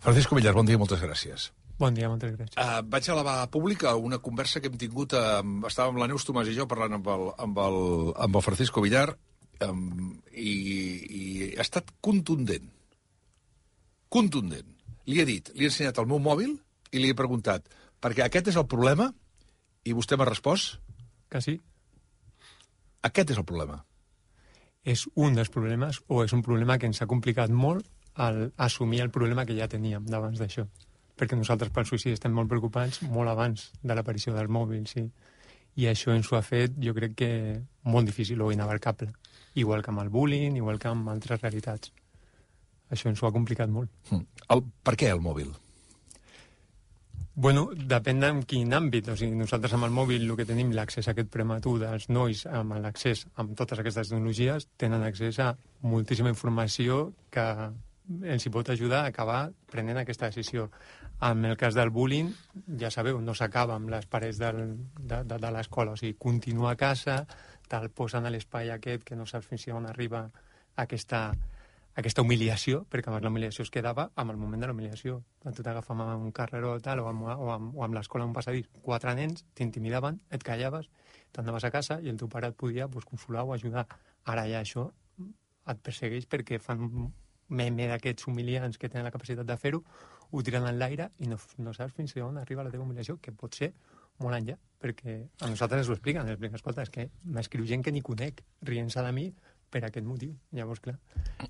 Francisco Villar, bon dia, moltes gràcies. Bon dia, moltes gràcies. Vaig elevar a pública una conversa que hem tingut, estàvem la Neus Tomàs i jo parlant amb el Francisco Villar, i ha estat contundent. Contundent. Li he ensenyat el meu mòbil i li he preguntat, perquè aquest és el problema, i vostè m'ha respost? Que sí. Aquest és el problema. És un dels problemes, o és un problema que ens ha complicat molt al assumir el problema que ja teníem d'abans d'això. Perquè nosaltres pel suïcidi estem molt preocupats molt abans de l'aparició del mòbil, sí. I això ens ho ha fet, jo crec que molt difícil o inabarcable. Igual que amb el bullying, igual que amb altres realitats. Això ens ho ha complicat molt. Per què el mòbil? Bueno, depèn en quin àmbit. O sigui, nosaltres amb el mòbil el que tenim l'accés a aquest prematur dels nois amb l'accés amb totes aquestes tecnologies tenen accés a moltíssima informació que els hi pot ajudar a acabar prenent aquesta decisió. En el cas del bullying, ja sabeu, no s'acaba amb les parets de l'escola. O sigui, continua a casa, te'l posen a l'espai aquest que no saps fins on arriba aquesta humiliació, perquè abans l'humiliació es quedava amb el moment de l'humiliació. Tu t'agafes amb un carreró tal, o amb l'escola un passadís. 4 nens t'intimidaven, et callaves, t'anaves a casa i el teu pare et podia consolar o ajudar. Ara ja això et persegueix perquè fan un meme d'aquests humiliants que tenen la capacitat de fer-ho, ho tiren en l'aire i no saps fins on arriba la teva humiliació, que pot ser molt enllà, perquè a nosaltres ens ho expliquen, escolta, és que m'escriu gent que ni conec, rient-se de mi per aquest motiu. Llavors, clar,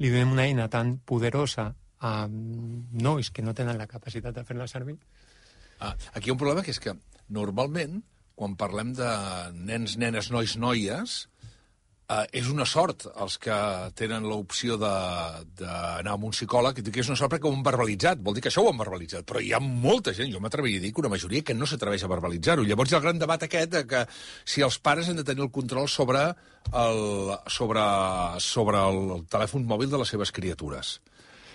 li donem una eina tan poderosa a nois que no tenen la capacitat de fer-la servir. Aquí hi ha un problema que és que normalment, quan parlem de nens, nenes, nois, noies, és una sort els que tenen l'opció d'anar amb un psicòleg, i que és una sort perquè ho han verbalitzat, vol dir que això ho han verbalitzat, però hi ha molta gent, jo m'atreviria a dir que una majoria que no s'atreveix a verbalitzar-ho. Llavors hi ha el gran debat aquest de que si els pares han de tenir el control sobre el telèfon mòbil de les seves criatures.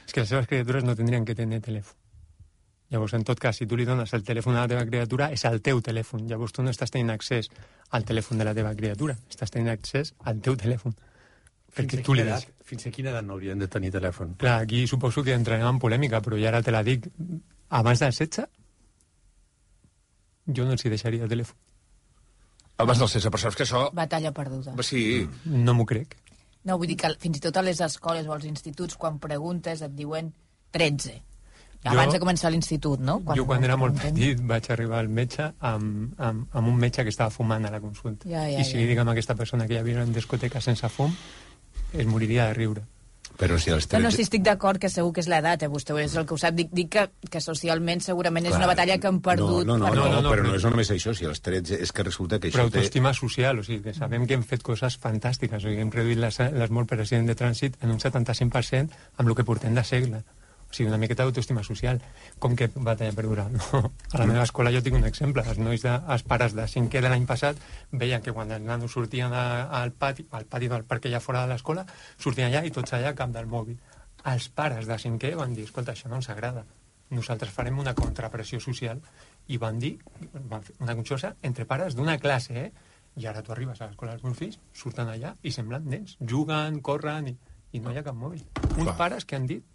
És que les seves criatures no tindrien que tenir telèfon. Llavors, en tot cas, si tu li dones el telèfon a la teva criatura, és el teu telèfon. Llavors, tu no estàs tenint accés al telèfon de la teva criatura, estàs tenint accés al teu telèfon. Fins a quina edat no haurien de tenir telèfon? Clar, aquí suposo que entrarem en polèmica, però ja ara te la dic. Abans dels 16, jo no els hi deixaria telèfon. Abans dels 16, però saps que això... Batalla perduda. Sí. No m'ho crec. No, vull dir que fins i tot a les escoles o als instituts, quan preguntes, et diuen 13. Abans de començar l'institut, no? Quan era molt petit vaig arribar al metge amb un metge que estava fumant a la consulta. I si li dic a aquesta persona que ja havia en discoteca sense fum, es moriria de riure. Però si els 13... No, si estic d'acord que segur que és l'edat, vostè és el que ho sap. Dic que socialment segurament és una batalla que han perdut. No, però no és només això, si els 13 és que resulta que però això té... Però autoestima social, o sigui, que sabem que hem fet coses fantàstiques, o sigui, hem reduït les morts per accident de trànsit en un 75% amb el que portem de segle. O sigui, una miqueta d'autoestima social. Com que batalla perduda? No. A la meva escola jo tinc un exemple. Els pares de 5è de l'any passat veien que quan els nanos sortien al pati del parc allà fora de l'escola, sortien allà i tots allà a cap del mòbil. Els pares de 5è van dir, escolta, això no ens agrada. Nosaltres farem una contrapressió social. I van fer una conxorxa entre pares d'una classe, I ara tu arribes a l'escola dels meus fills, surten allà i semblen nens. Juguen, corren i no hi ha cap mòbil. Uns pares que han dit,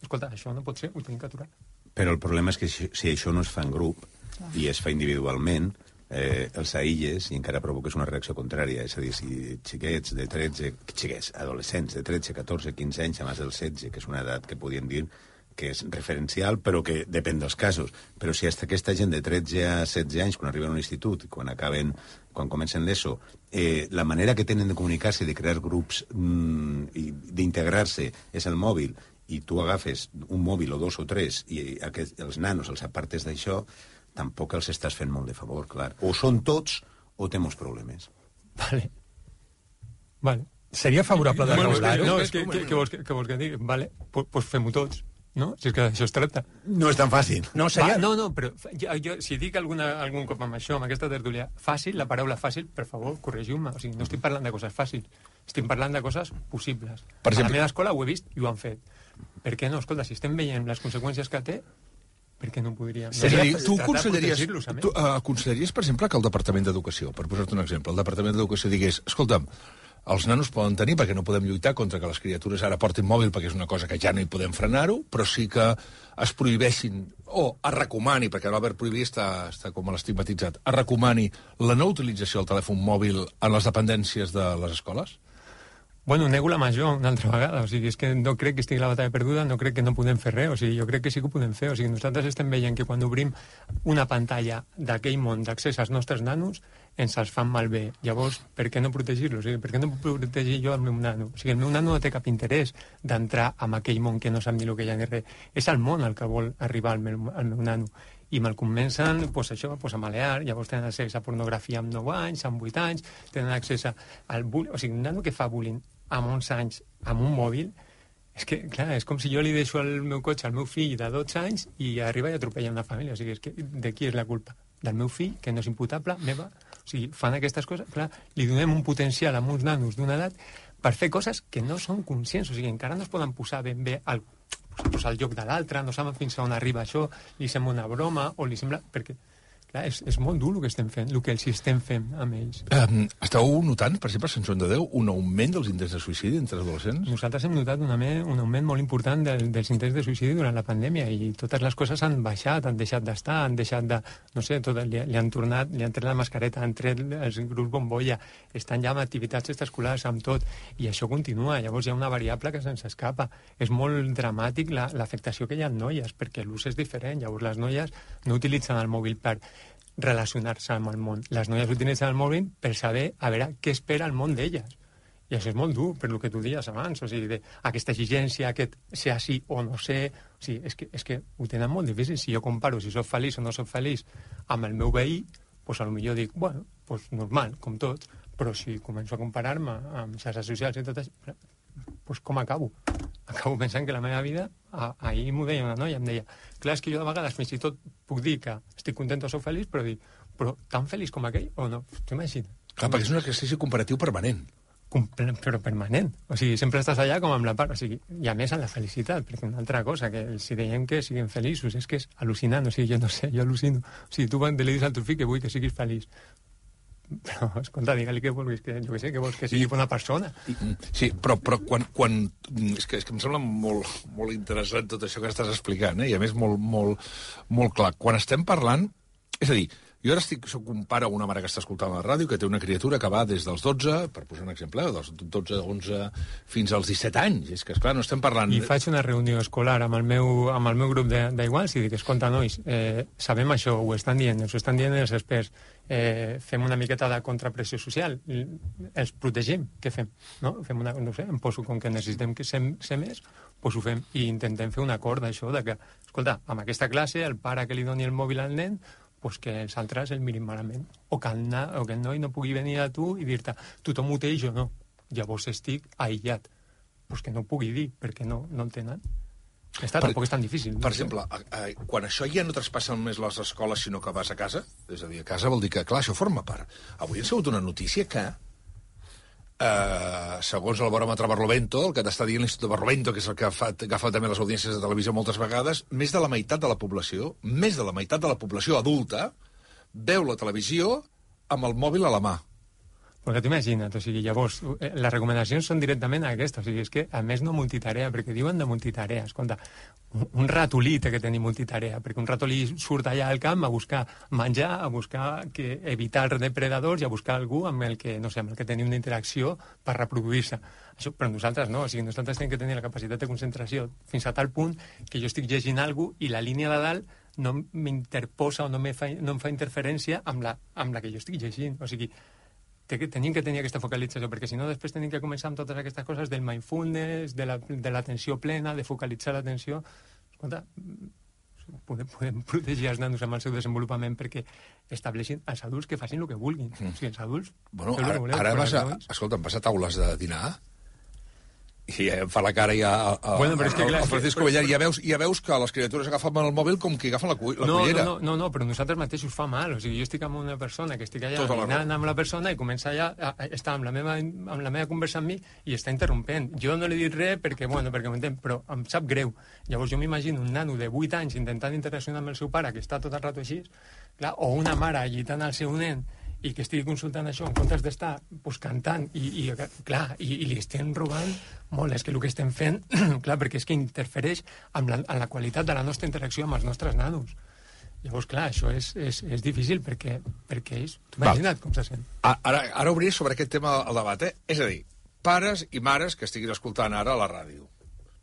escolta, això no pot ser, ho tenim que aturar. Però el problema és que si això no es fa en grup i es fa individualment, els aïlles i encara provoques una reacció contrària. És a dir, si xiquets de 13... adolescents de 13, 14, 15 anys, a més del 16, que és una edat que podríem dir que és referencial, però que depèn dels casos. Però si hasta aquesta gent de 13 a 16 anys, quan arriben a un institut, quan comencen l'ESO, la manera que tenen de comunicar-se, de crear grups i d'integrar-se és el mòbil, i tu agafes un mòbil o 2 o 3 i els nanos els apartes d'això, tampoc els estàs fent molt de favor, clar. O són tots o té molts problemes. Vale. Seria favorable de regular-ho? No, és que vols que digui? Vale, doncs fem-ho tots. No? Si és que això es tracta. No és tan fàcil. No, però jo, si dic algun cop amb això, amb aquesta tertúlia, fàcil, la paraula fàcil, per favor, corregiu-me. O sigui, no estic parlant de coses fàcils, estic parlant de coses possibles. Per exemple, a la meva escola ho he vist i ho han fet. Per què no? Escolta, si estem veient les conseqüències que té, per què no podríem... Tu aconsellaries, per exemple, que el Departament d'Educació, per posar-te un exemple, el Departament d'Educació digués, escolta'm, els nanos poden tenir, perquè no podem lluitar contra que les criatures ara portin mòbil, perquè és una cosa que ja no hi podem frenar-ho, però sí que es prohibeixin, o es recomani, perquè l'Albert prohibir està com a l'estigmatitzat, es recomani la no utilització del telèfon mòbil en les dependències de les escoles? Bueno, nego la major una altra vegada, o sigui, és que no crec que estigui la batalla perduda, no crec que no podem fer res, o sigui, jo crec que sí que ho podem fer, o sigui, nosaltres estem veient que quan obrim una pantalla d'aquell món d'accés als nostres nanos, ens els fan malbé. Llavors, per què no protegir-los? O sigui, per què no puc protegir jo el meu nano? O sigui, el meu nano no té cap interès d'entrar en aquell món que no sap ni el que hi ha ni res. És el món al que vol arribar el meu nano. I me'l comencen, pues, això, pues, a malear, llavors tenen accés a pornografia amb 9 anys, amb 8 anys, tenen accés al bullying. O sigui, un nano que fa bullying amb 11 anys amb un mòbil, és que, clar, és com si jo li deixo el meu cotxe al meu fill de 12 anys i arriba i atropella una família. O sigui, és que de qui és la culpa? Del meu fill, que no és imputable, meva. O sigui, fan aquestes coses, clar, li donem un potencial a uns nanos d'una edat per fer coses que no són conscients. O sigui, encara no es poden posar ben bé al lloc de l'altre, no saben fins a on arriba això, li sembla una broma, o li sembla... Perquè, clar, és molt dur el que estem fent, el que els estem fent amb ells. Esteu notant, per exemple, Sant Joan de Déu, un augment dels intents de suïcidi entre adolescents? Nosaltres hem notat un augment molt important dels intents de suïcidi durant la pandèmia i totes les coses han baixat, han deixat d'estar, han deixat de... No sé, li han tret la mascareta, han tret els grups bombolla, estan ja amb activitats extraescolars, amb tot, i això continua. Llavors hi ha una variable que se'ns escapa. És molt dramàtic l'afectació que hi ha en noies, perquè l'ús és diferent. Llavors les noies no utilitzen el mòbil per relacionar-se amb el món. Les noies utilitzen el mòbil per saber, a veure, què espera el món d'elles. I això és molt dur, per el que tu dies abans, o sigui, aquesta exigència, aquest ser així o no ser... O sigui, és que ho tenen molt difícil. Si jo comparo si soc feliç o no soc feliç amb el meu veí, doncs potser dic, bueno, doncs normal, com tots, però si començo a comparar-me amb xarxes socials i tot això, doncs com acabo? Acabo pensant que la meva vida... Ahir m'ho deia una noia, em deia, clar, és que jo de vegades fins i tot puc dir que estic content o soc feliç, però dic, però tan feliç com aquell o no? T'imagines? Clar, perquè és un exercici comparatiu permanent. Però permanent. O sigui, sempre estàs allà com amb la part. O sigui, i a més en la felicitat, perquè una altra cosa, que si deiem que siguin feliços, és que és al·lucinant. O sigui, jo no sé, jo al·lucino. O sigui, tu li dius al teu fill que vull que siguis feliç. Però, escolta, digue-li que vulguis, que jo què sé, que vols que sigui una persona. Sí, però quan és que em sembla molt interessant tot això que estàs explicant, i a més molt clar. Quan estem parlant... És a dir, jo ara soc un pare o una mare que està escoltant la ràdio que té una criatura que va des dels 12, per posar un exemple, dels 12, 11, fins als 17 anys. És que, esclar, no estem parlant... I faig una reunió escolar amb el meu grup d'iguals i dic, escolta, nois, sabem això, ho estan dient els experts, fem una miqueta de contrapressió social, els protegim, què fem? No sé, em poso com que necessitem que ser més, doncs ho fem i intentem fer un acord d'això, de que, escolta, amb aquesta classe, el pare que li doni el mòbil al nen, pues que els altres el mirin malament. O que el noi no pugui venir a tu i dir-te, tothom ho té i jo no. Llavors estic aïllat. Pues que no ho pugui dir, perquè no el tenen. Tampoc és tan difícil. Per exemple, quan això ja no traspassa només les escoles, sinó que vas a casa, és a dir, a casa vol dir que, clar, això forma part. Avui ha sigut una notícia que, segons el baròmetre Barlovento, el que t'està dient l'Institut Barlovento, que és el que agafa també les audiències de televisió moltes vegades, més de la meitat de la població adulta veu la televisió amb el mòbil a la mà. Perquè t'imagina't, o sigui, llavors, les recomanacions són directament aquestes, o sigui, és que, a més, no multitarea, perquè diuen de multitarea, escolta, un ratolí té que tenir multitarea, perquè un ratolí surt allà al camp a buscar menjar, a buscar evitar depredadors i a buscar algú amb el que, no sé, amb el que tenir una interacció per reproduir-se. Això, però nosaltres no, o sigui, nosaltres tenim que tenir la capacitat de concentració fins a tal punt que jo estic llegint alguna cosa i la línia de dalt no m'interposa o no em fa interferència amb la que jo estic llegint, o sigui, tenim que tenir aquesta focalització, perquè si no després tenim que començar amb totes aquestes coses del mindfulness, de l'atenció plena, de focalitzar l'atenció. Escolta, podem protegir els nanos amb el seu desenvolupament perquè estableixin els adults que facin el que vulguin. O sigui, els adults... Bueno, ara vas a taules de dinar i em fa la cara ja el Francisco Bellar, ja veus que les criatures agafen el mòbil com que agafen la cullera. No, però nosaltres mateixos fa mal. O sigui, jo estic amb una persona que estic allà dinant amb la persona i comença allà a estar amb la meva conversa amb mi i està interrompent. Jo no li dic res perquè m'entén, però em sap greu. Llavors jo m'imagino un nano de 8 anys intentant interaccionar amb el seu pare, que està tot el rato així, clar, o una mare agitant el seu nen i que estigui consultant això en comptes d'estar cantant i li estem robant molt. És que el que estem fent, clar, perquè és que interfereix en la qualitat de la nostra interacció amb els nostres nanos. Llavors, clar, això és difícil perquè ells... Tu imagina't com se sent. Ara obriré sobre aquest tema el debat, És a dir, pares i mares que estiguin escoltant ara a la ràdio.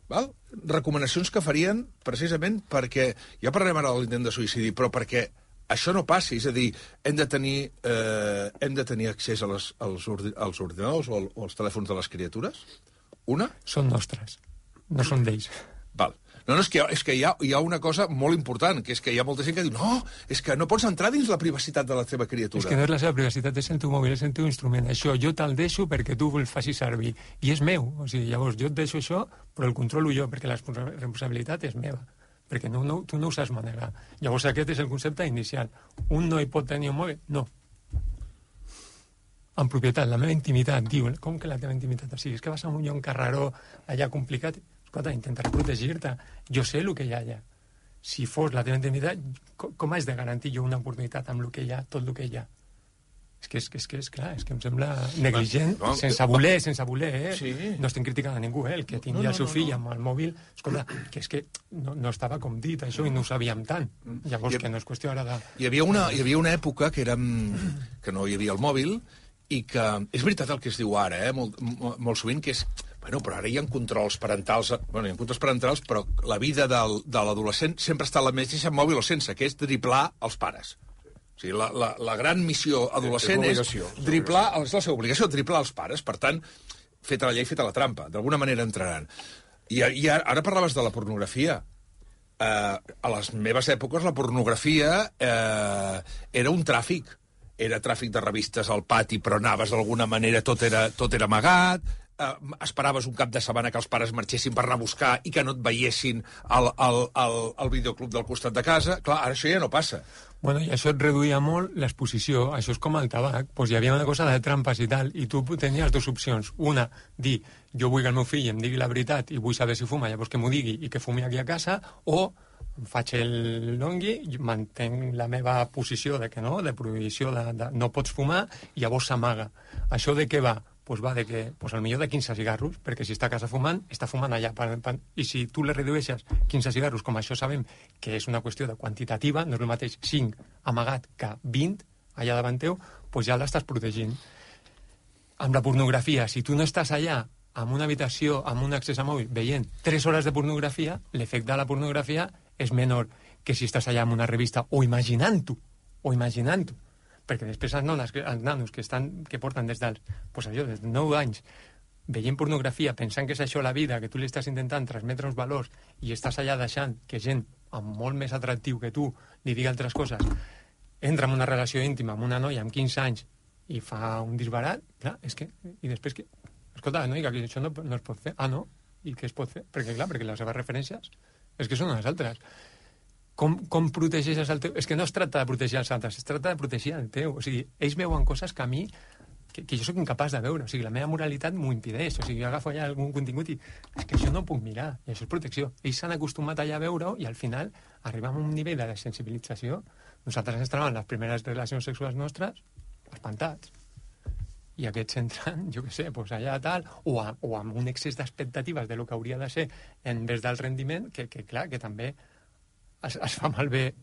Val? Recomanacions que farien precisament perquè... Ja parlarem ara de l'intent de suïcidi, però perquè això no passi, és a dir, hem de tenir accés als ordinadors o als telèfons de les criatures? Una? Són nostres, no són d'ells. Val. No, és que hi ha una cosa molt important, que és que hi ha molta gent que diu no, és que no pots entrar dins la privacitat de la teva criatura. És que no és la seva privacitat, és el teu mòbil, és el teu instrument. Això jo te'l deixo perquè tu el facis servir. I és meu. O sigui, llavors jo et deixo això, però el controlo jo, perquè la responsabilitat és meva. Perquè tu no ho saps manegar. Llavors aquest és el concepte inicial. Un no hi pot tenir un mòbil? No. En propietat, la meva intimitat, diu, com que la teva intimitat? O sigui, és que vas a un carreró allà complicat. Escolta, intentaré protegir-te. Jo sé el que hi ha allà. Si fos la teva intimitat, com haig de garantir jo una oportunitat amb el que hi ha, tot el que hi ha? És que em sembla negligent, sense voler, Sí. No estem criticant a ningú, el que tingui el seu fill amb el mòbil. Escolta, que és que no estava com dit això i no ho sabíem tant. Llavors, que no és qüestió ara de... Hi havia una època que no hi havia el mòbil i que... És veritat el que es diu ara, molt sovint, que és... Bueno, però ara hi ha controls parentals... Bueno, hi ha controls parentals, però la vida de l'adolescent sempre està a la mateixa mòbil o sense, que és driblar els pares. O sigui, la gran missió adolescent és driblar... És la seva obligació, driblar els pares. Per tant, feta la llei, feta la trampa. D'alguna manera entraran. I ara parlaves de la pornografia. A les meves èpoques la pornografia era un tràfic. Era tràfic de revistes al pati, però anaves d'alguna manera, tot era amagat, esperaves un cap de setmana que els pares marxessin per anar a buscar i que no et veiessin al videoclub del costat de casa. Clar, ara això ja no passa. Bueno, i això et reduïa molt l'exposició. Això és com el tabac. Pues hi havia una cosa de trampes i tal, i tu tenies dues opcions. Una, dir, jo vull que el meu fill em digui la veritat i vull saber si fuma, llavors que m'ho digui i que fumi aquí a casa, o faig el longui, mantenc la meva posició de que no, de prohibició, de no pots fumar, i llavors s'amaga. Això de què va? Pues va de que, al millor de 15 cigarros, perquè si està a casa fumant, està fumant allà. I si tu le redueixes 15 cigarros, com això sabem que és una qüestió de quantitativa, no és el mateix 5 amagat que 20 allà davant teu, pues ja l'estàs protegint. Amb la pornografia, si tu no estàs allà en una habitació, amb un accés a mòbil, veient 3 hores de pornografia, l'efecte de la pornografia és menor que si estàs allà amb una revista o imaginant-ho, perquè després els nanos que porten des dels 9 anys veient pornografia, pensant que és això la vida, que tu li estàs intentant transmetre uns valors i estàs allà deixant que gent amb molt més atractiu que tu li digui altres coses, entra en una relació íntima amb una noia amb 15 anys i fa un disbarat, clar, és que... I després que... Escolta, no, que això no es pot fer. Ah, no? I què es pot fer? Perquè les seves referències és que són les altres. Com protegeixes el teu... És que no es tracta de protegir els altres, es tracta de protegir el teu. O sigui, ells veuen coses que a mi que jo sóc incapaç de veure. O sigui, la meva moralitat m'ho impedeix. O sigui, jo agafo allà algun contingut i és que això no ho puc mirar. I això és protecció. Ells s'han acostumat allà a veure-ho i al final arribem a un nivell de sensibilització. Nosaltres ens trobem les primeres relacions sexuals nostres espantats. I aquests entren, jo què sé, doncs allà tal, o amb un excés d'expectatives de lo que hauria de ser en vez del rendiment, que clar, que també es fa malbé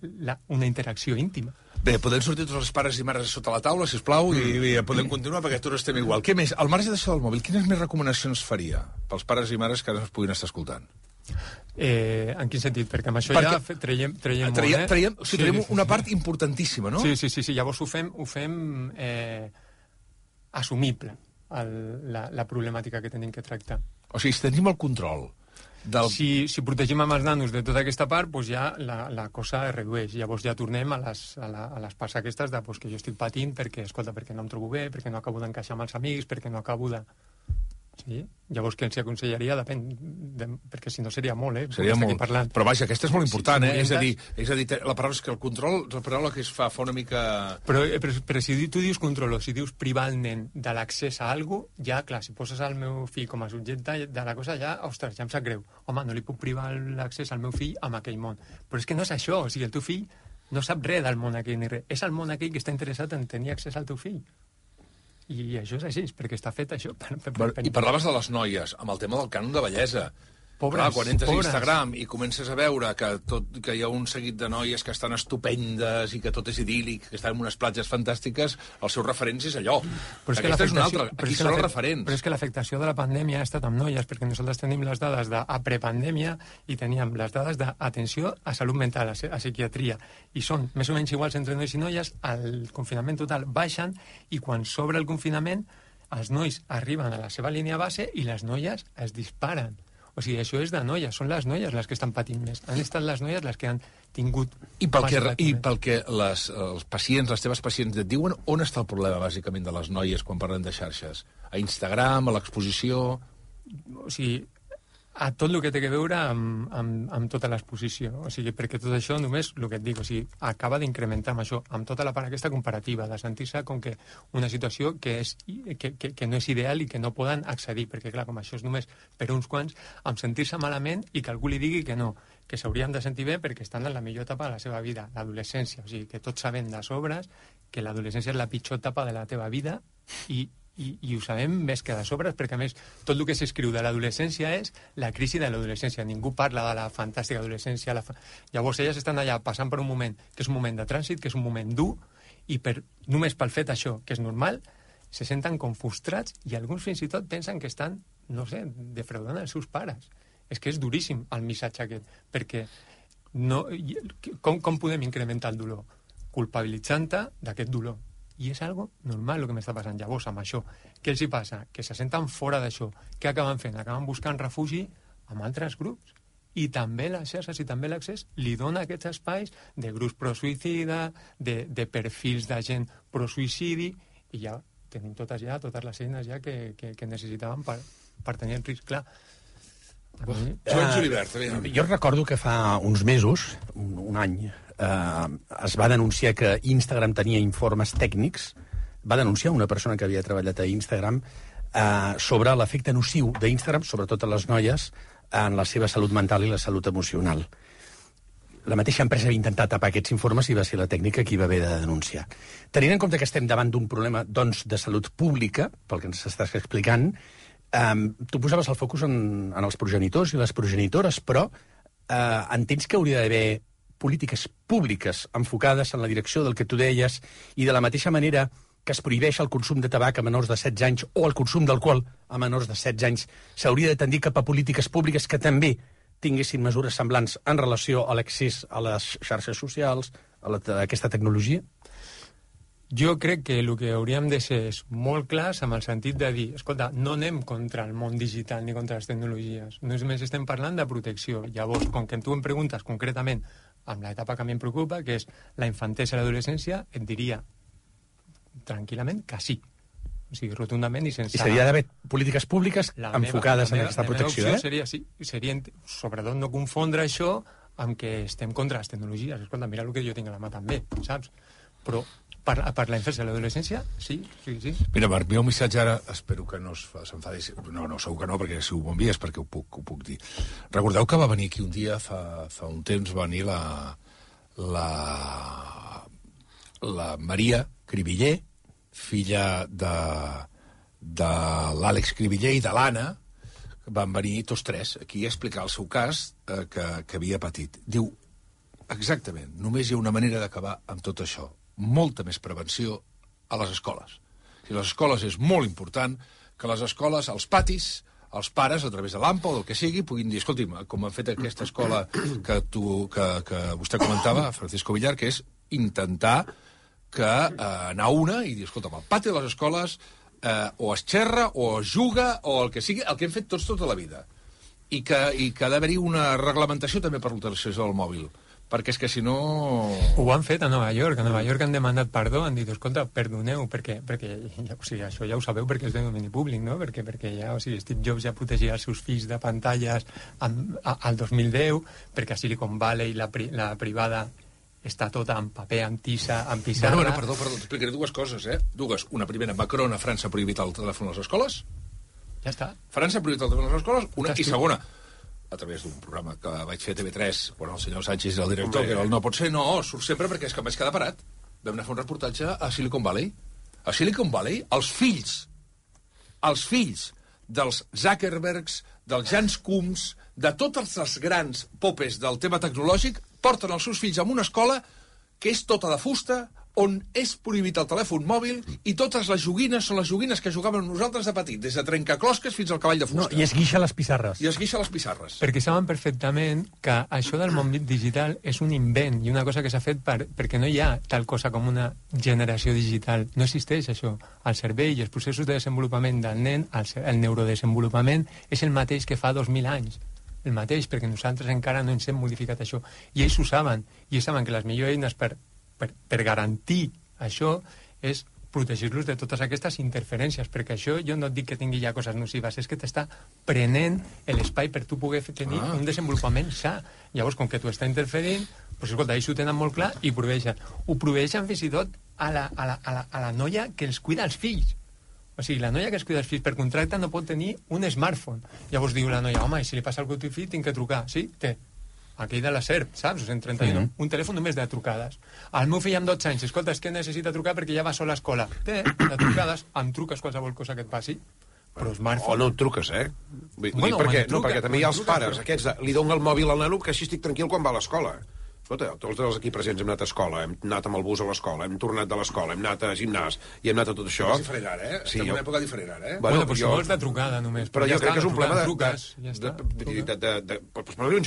una interacció íntima. Bé, podem sortir tots els pares i mares sota la taula, sisplau, i podem continuar perquè tots estem igual. Què més? Al marge d'això del mòbil, quines més recomanacions faria pels pares i mares que ara ens puguin estar escoltant? En quin sentit? Perquè amb això ja traiem molt, traiem una part importantíssima, no? Sí. Llavors ho fem assumible, la problemàtica que tenim que tractar. O sigui, si tenim el control Si protegim amb els nanos de tota aquesta part, doncs ja la cosa es redueix. Llavors ja tornem a les parts aquestes de que jo estic patint perquè no em trobo bé, perquè no acabo d'encaixar amb els amics, perquè no acabo de... Sí? Llavors, què els aconsellaria? Depèn, perquè si no seria molt, Seria molt. Parlant. Però vaja, aquesta és molt important, És a dir, la paraula és que el control, la paraula que es fa una mica... Però si tu dius control o si dius privar el nen de l'accés a alguna cosa, ja, clar, si poses el meu fill com a subjecte de la cosa, ja, ostres, ja em sap greu. Home, no li puc privar l'accés al meu fill amb aquell món. Però és que no és això, o sigui, el teu fill no sap res del món aquell ni res. És el món aquell que està interessat en tenir accés al teu fill. I això és així, perquè està fet això. I parlaves de les noies, amb el tema del cànon de bellesa. Pobres, clar, quan entres pobres. a Instagram i comences a veure que hi ha un seguit de noies que estan estupendes i que tot és idíl·lic, que estan en unes platges fantàstiques, els seus referents és allò. Però és que Aquesta és una altra. però Aquí és que són els referents. Però és que l'afectació de la pandèmia ha estat amb noies, perquè nosaltres tenim les dades de prepandèmia i teníem les dades d'atenció a salut mental, a psiquiatria, i són més o menys iguals entre nois i noies, el confinament total baixen, i quan s'obre el confinament, els nois arriben a la seva línia base i les noies es disparen. O sigui, això és de noies, són les noies les que estan patint més. Han estat les noies les que han tingut... I pel que els pacients, les teves pacients et diuen, on està el problema, bàsicament, de les noies quan parlen de xarxes? A Instagram, a l'exposició... O sigui, a tot el que té a veure amb tota l'exposició. O sigui, perquè tot això només, el que et dic, o sigui, acaba d'incrementar amb això, amb tota la part aquesta comparativa, de sentir-se com que una situació que no és ideal i que no poden accedir, perquè clar, com això és només per uns quants, amb sentir-se malament i que algú li digui que no, que s'haurien de sentir bé perquè estan en la millor etapa de la seva vida, l'adolescència. O sigui, que tots sabem de sobres que l'adolescència és la pitjor etapa de la teva vida i ho sabem més que de sobres, perquè a més tot el que s'escriu de l'adolescència és la crisi de l'adolescència. Ningú parla de la fantàstica adolescència. Llavors elles estan allà passant per un moment que és un moment de trànsit, que és un moment dur, i només pel fet això, que és normal, se senten com frustrats i alguns fins i tot pensen que estan, no sé, defraudant els seus pares. És que és duríssim el missatge aquest, perquè com podem incrementar el dolor? Culpabilitzant-te d'aquest dolor. I és algo normal el que m'està passant. Llavors, amb això, què els hi passa? Que se senten fora d'això. Què acaben fent? Acaben buscant refugi amb altres grups. I també les xarxes i també l'accés li dona aquests espais de grups pro-suïcida, de perfils de gent pro-suïcidi, i ja tenim totes les eines ja que necessitàvem per tenir el risc clar. Joan Julibert, jo recordo que fa uns mesos, un any, es va denunciar que Instagram tenia informes tècnics, va denunciar una persona que havia treballat a Instagram sobre l'efecte nociu d'Instagram, sobretot a les noies, en la seva salut mental i la salut emocional. La mateixa empresa va intentar tapar aquests informes i va ser la tècnica qui va haver de denunciar. Tenint en compte que estem davant d'un problema, doncs, de salut pública, pel que ens estàs explicant, tu posaves el focus en els progenitors i les progenitores, però entens que hauria d'haver polítiques públiques enfocades en la direcció del que tu deies i de la mateixa manera que es prohibeix el consum de tabac a menors de 16 anys o el consum d'alcohol a menors de 16 anys, s'hauria de tendir cap a polítiques públiques que també tinguessin mesures semblants en relació a l'accés a les xarxes socials, a aquesta tecnologia? Jo crec que el que hauríem de ser és molt clars amb el sentit de dir, escolta, no anem contra el món digital ni contra les tecnologies, només estem parlant de protecció. Llavors, com que tu em preguntes concretament amb l'etapa que a mi em preocupa, que és la infantesa i l'adolescència, et diria tranquil·lament que sí. O sigui, rotundament i sense... I seria d'haver polítiques públiques enfocades en aquesta protecció, La meva opció seria, sobretot, no confondre això amb que estem contra les tecnologies. Escolta, mira el que jo tinc a la mà també, saps? Però per la infància i l'adolescència, sí. Mira, Marc, mi un missatge ara, espero que no s'enfadi. No, segur que no, perquè si ho m'envies perquè ho puc dir. Recordeu que va venir aquí un dia, fa un temps, va venir la Maria Cribiller, filla de l'Àlex Cribiller i de l'Anna, van venir tots tres aquí a explicar el seu cas que havia patit. Diu, exactament, només hi ha una manera d'acabar amb tot això. Molta més prevenció a les escoles. I les escoles és molt important que les escoles, als patis, els pares, a través de l'AMPA o del que sigui, puguin dir, escolti'm, com han fet aquesta escola que vostè comentava, Francisco Villar, que és intentar anar a una i dir, escolta'm, al pati de les escoles o es xerra o es juga o el que sigui, el que hem fet tots tota la vida. I que ha d'haver-hi una reglamentació també per l'utilització del mòbil. Perquè és que si no... Ho han fet a Nova York. A Nova York han demandat perdó, han dit, escolta, perdoneu, perquè o sigui, això ja ho sabeu perquè és de domini públic, no? Perquè ja, o sigui, Steve Jobs ja protegia els seus fills de pantalles al 2010, perquè a Silicon Valley la privada està tota en paper, en tissa, en pissarra... Bueno, perdó, t'explicaré dues coses, Dues. Una primera, Macron a França ha prohibit el telèfon a les escoles. Ja està. França ha prohibit el telèfon a les escoles, una. I segona, a través d'un programa que vaig fer a TV3, quan el senyor Sánchez era el director, que era el No pot ser, no, surt sempre perquè és que em vaig quedar parat. Vam anar a fer un reportatge a Silicon Valley. A Silicon Valley, els fills dels Zuckerbergs, dels Jans Coombs, de totes les grans popes del tema tecnològic, porten els seus fills a una escola que és tota de fusta, on és prohibit el telèfon mòbil i totes les joguines són les joguines que jugàvem nosaltres de petit, des de trencaclosques fins al cavall de fusta. No, I es guixa les pissarres. I es guixa les pissarres. Perquè saben perfectament que això del món digital és un invent i una cosa que s'ha fet perquè no hi ha tal cosa com una generació digital. No existeix això. El cervell i els processos de desenvolupament del nen, el neurodesenvolupament, és el mateix que fa 2.000 anys. El mateix, perquè nosaltres encara no ens hem modificat això. I ells ho saben. I ells saben que les millors eines per garantir això és protegir-los de totes aquestes interferències, perquè això jo no et dic que tingui ja coses nocives, és que t'està prenent l'espai per tu poder tenir un desenvolupament sa. Llavors, com que tu està interferint, doncs escolta, ells ho tenen molt clar i proveeixen. Ho proveeixen fins i tot a la noia que els cuida els fills. O sigui, la noia que es cuida els fills per contracte no pot tenir un smartphone. Llavors diu la noia, home, i si li passa alguna cosa al teu fill tinc que trucar. Sí, té. Aquell de la SERP, saps? O 131. Un telèfon només de trucades. El meu fill amb 12 anys, escolta, és que necessita trucar perquè ja va sol a l'escola. Té, de trucades, em truques qualsevol cosa que et passi. Però smartphone... O no et truques, perquè també hi ha els pares, aquests, li donen el mòbil al nano que així estic tranquil quan va a l'escola. Escolta, tots els aquí presents hem anat a escola, hem anat amb el bus a l'escola, hem tornat de l'escola, hem anat a gimnàs i hem anat a tot això. És diferent ara, eh? Sí, estem en una època diferent ara, eh? Bueno, però si vols de trucada només. Però jo crec que és un problema de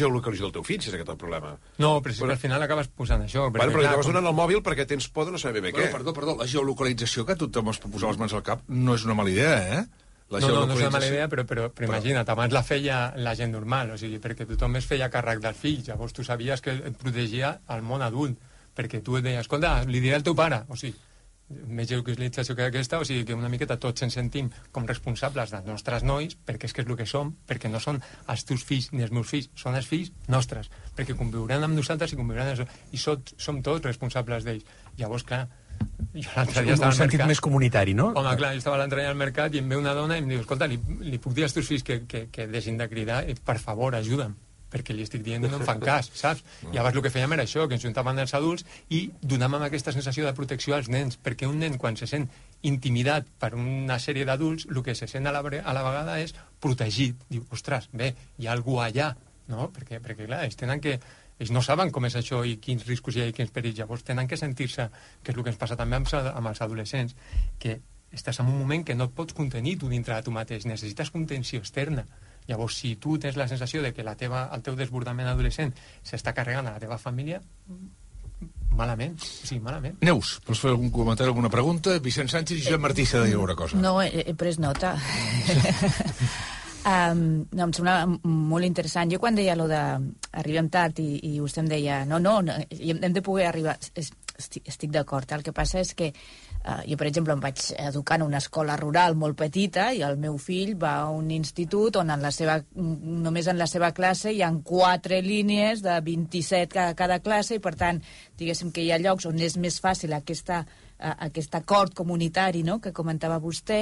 geolocalització del teu fill, si és aquest el problema. No, però si al final acabes posant això. Però acabes donant el mòbil perquè tens por de no saber bé què. Perdó, la geolocalització, que tothom es pot posar les mans al cap, no és una mala idea, eh? No és una mala idea, però imagina't, abans la feia la gent normal, o sigui, perquè tothom es feia càrrec dels fills, llavors tu sabies que et protegia el món adult, perquè tu et deies, escolta, li diré al teu pare, o sigui, més geolocalització que aquesta, o sigui, que una miqueta tots ens sentim com responsables dels nostres nois, perquè és que és el que som, perquè no són els teus fills ni els meus fills, són els fills nostres, perquè conviuran amb nosaltres i conviuran i som tots responsables d'ells. Llavors, clar, jo l'altre dia estava al sentit mercat. Més comunitari, no? Home, clar, jo estava l'altre dia al mercat i em ve una dona i em diu, escolta, li puc dir als teus fills que deixin de cridar i, per favor, ajuda'm, perquè li estic dient i no em fan cas, saps? Llavors el que fèiem era això, que ens juntaven els adults i donàvem aquesta sensació de protecció als nens, perquè un nen, quan se sent intimidat per una sèrie d'adults, el que se sent a la vegada és protegit. Diu, ostres, bé, hi ha algú allà, no? Perquè clar, ells no saben com és això i quins riscos hi ha i quins perills. Llavors tenen que sentir-se, que és el que ens passa també amb els adolescents, que estàs en un moment que no et pots contenir tu dintre de tu mateix, necessites contenció externa. Llavors, si tu tens la sensació de que el teu desbordament adolescent s'està carregant a la teva família, malament, o sigui, malament. Neus, vols fer algun comentari, alguna pregunta? Vicent Sánchez i Josep Martí s'ha de dir alguna cosa. No, he pres nota. No, em sembla molt interessant. Jo quan deia allò de arribem tard i vostè em deia no, hem de poder arribar, estic d'acord. El que passa és que jo, per exemple, em vaig educar en una escola rural molt petita i el meu fill va a un institut on només en la seva classe hi ha 4 línies de 27 cada classe i, per tant, diguéssim que hi ha llocs on és més fàcil aquest acord comunitari, no?, que comentava vostè,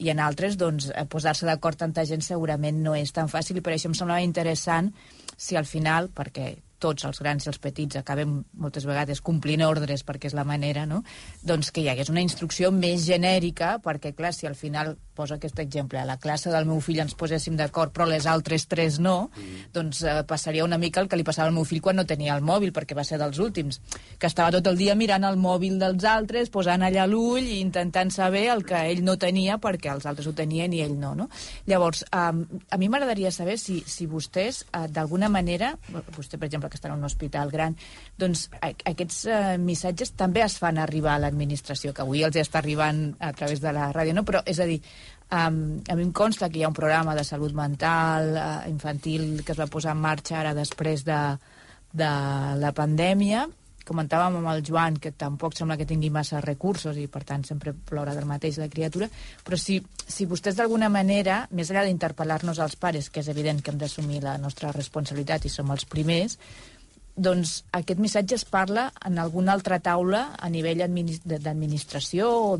i en altres, doncs, posar-se d'acord tanta gent segurament no és tan fàcil, i per això em semblava interessant si al final, perquè tots, els grans i els petits, acabem moltes vegades complint ordres perquè és la manera, no?, doncs que hi hagués una instrucció més genèrica, perquè, clar, si al final, poso aquest exemple, a la classe del meu fill ens poséssim d'acord, però les altres 3 no, doncs passaria una mica el que li passava al meu fill quan no tenia el mòbil, perquè va ser dels últims, que estava tot el dia mirant el mòbil dels altres, posant allà l'ull i intentant saber el que ell no tenia perquè els altres ho tenien i ell no, no? Llavors, a mi m'agradaria saber si vostès, d'alguna manera, vostè, per exemple, que està en un hospital gran, doncs aquests missatges també es fan arribar a l'administració, que avui els està arribant a través de la ràdio, no? Però, és a dir, a mi em consta que hi ha un programa de salut mental infantil que es va posar en marxa ara després de la pandèmia. Comentàvem amb el Joan que tampoc sembla que tingui massa recursos i, per tant, sempre plora del mateix la criatura, però si vostès d'alguna manera, més enllà d'interpel·lar-nos als pares, que és evident que hem d'assumir la nostra responsabilitat i som els primers, doncs aquest missatge es parla en alguna altra taula a nivell d'administració o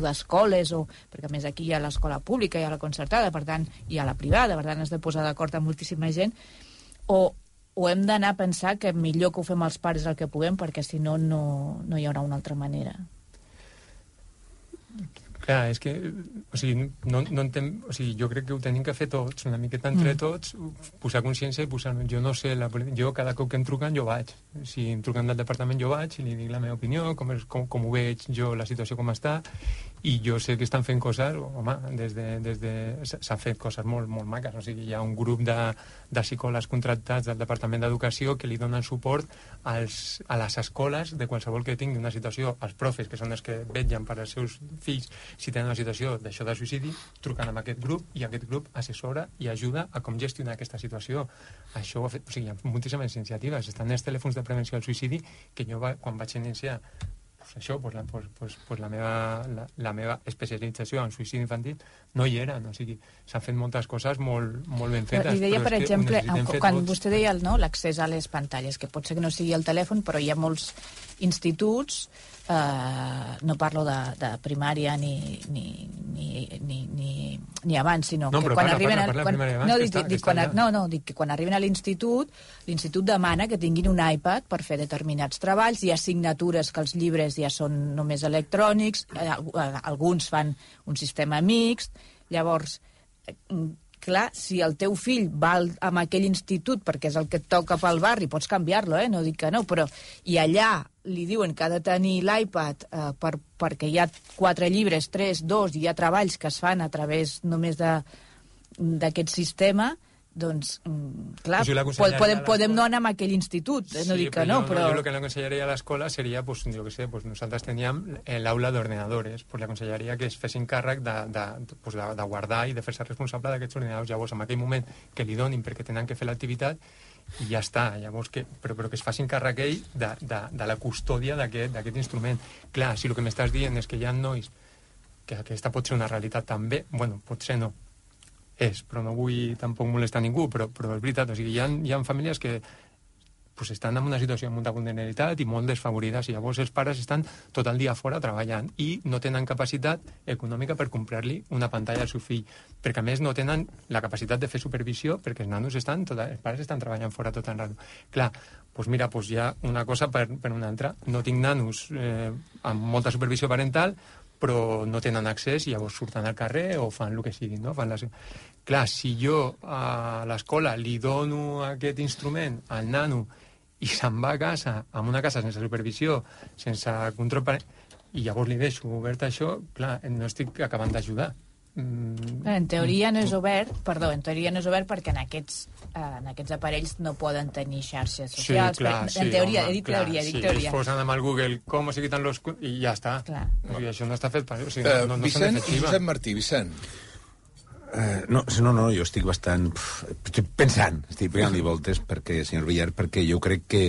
d'escoles, perquè a més aquí hi ha l'escola pública, hi ha la concertada, per tant, hi ha la privada, per tant has de posar d'acord amb moltíssima gent, o hem d'anar a pensar que millor que ho fem els pares el que puguem, perquè si no, no hi haurà una altra manera. Clar, és que, o sigui, no entenc, o sigui, jo crec que ho tenim que fer tots, una miqueta entre tots, posar consciència i posar... Jo no sé, jo cada cop que em truquen jo vaig. Si em truquen del departament jo vaig i li dic la meva opinió, com ho veig jo, la situació com està, i jo sé que estan fent coses, home, s'han fet coses molt, molt maques, o sigui, hi ha un grup de psicòlegs contractats del Departament d'Educació que li donen suport a les escoles de qualsevol que tingui una situació, als profes, que són els que vetllen per als seus fills, si tenen una situació d'això de suïcidi, truquen amb aquest grup i aquest grup assessora i ajuda a com gestionar aquesta situació. Això ho ha fet, o sigui, hi ha moltíssimes iniciatives. Estan els telèfons de prevenció al suïcidi que jo, quan vaig iniciar això, la meva especialització en suïcidi infantil no hi era, o sigui, s'han fet moltes coses molt ben fetes. Li deia, per exemple, quan vostè deia l'accés a les pantalles, que pot ser que no sigui el telèfon, però hi ha molts instituts, no parlo de primària ni abans, sinó que quan arriben dic que quan arriben a l'institut demana que tinguin un iPad per fer determinats treballs, hi ha assignatures que els llibres ja són només electrònics, alguns fan un sistema mixt, llavors clar, si el teu fill va a aquell institut perquè és el que et toca pel barri, pots canviar-lo, no dic que no, però i allà li diuen que ha de tenir l'iPad perquè hi ha 4 llibres, 3, 2, i hi ha treballs que es fan a través només d'aquest sistema, doncs, clar, podem no anar a aquell institut, no dic que no, però... Jo el que le aconsellaria a l'escola seria, jo què sé, nosaltres teníem l'aula d'ordenadores, la aconsellaria que es fessin càrrec de guardar i de fer-se responsable d'aquests ordinadors. Llavors, en aquell moment que li donin perquè tenen que fer l'activitat, i ja està, llavors però que es facin càrrec ell de la custòdia d'aquest instrument. Clar, si el que m'estàs dient és que hi ha nois que aquesta pot ser una realitat també, bueno, potser no, però no vull tampoc molestar ningú, però és veritat, o sigui, hi ha famílies que estan en una situació de molta vulnerabilitat i molt desfavorides, i llavors els pares estan tot el dia fora treballant i no tenen capacitat econòmica per comprar-li una pantalla al seu fill, perquè a més no tenen la capacitat de fer supervisió perquè els nanos els pares estan treballant fora tot el rato. Clar, doncs mira, hi ha una cosa per una altra. No tinc nanos amb molta supervisió parental, però no tenen accés i llavors surten al carrer o fan el que sigui, no? Clar, si jo a l'escola li dono aquest instrument al nano i se'n va a casa, en una casa sense supervisió, sense control, i llavors li deixo obert això, clar, no estic acabant d'ajudar. En teoria no és obert, perquè en aquests aparells no poden tenir xarxes socials. Sí, clar, en teoria, he dit teoria. Si es posen amb el Google com se quitan los... i ja està. O sigui, això no està fet per... O sigui, no Vicent i Josep Martí. Vicent. No, jo estic bastant... Estic pensant, estic pegant-li voltes, senyor Villar, perquè jo crec que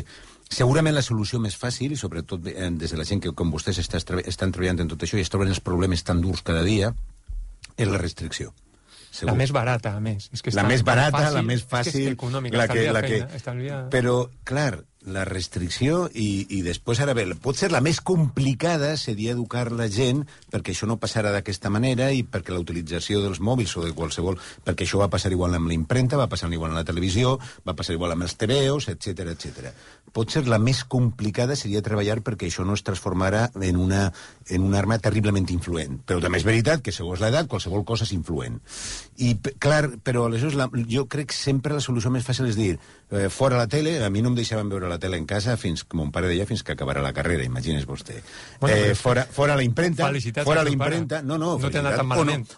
segurament la solució més fàcil, i sobretot des de la gent que com vostès estan treballant en tot això i es troben els problemes tan durs cada dia, és la restricció. Segur. La més barata, a més. És que la més barata, la més fàcil... econòmica, estalvia... Però, clar, la restricció i després, ara bé, potser la més complicada seria educar la gent perquè això no passarà d'aquesta manera i perquè la utilització dels mòbils o de qualsevol... Perquè això va passar igual amb la impremta, va passar igual amb la televisió, va passar igual amb els TVOs, etc. Potser la més complicada seria treballar perquè això no es transformara en una arma terriblement influent. Però també és veritat que, segons l'edat, qualsevol cosa és influent. I, clar, però aleshores jo crec que sempre la solució més fàcil és dir fora la tele, a mi no em deixaven veure la tele en casa fins, com mon pare deia, fins que acabarà la carrera, imagines vostè. Fora la impremta, fora la impremta... No t'ha anat tan malament.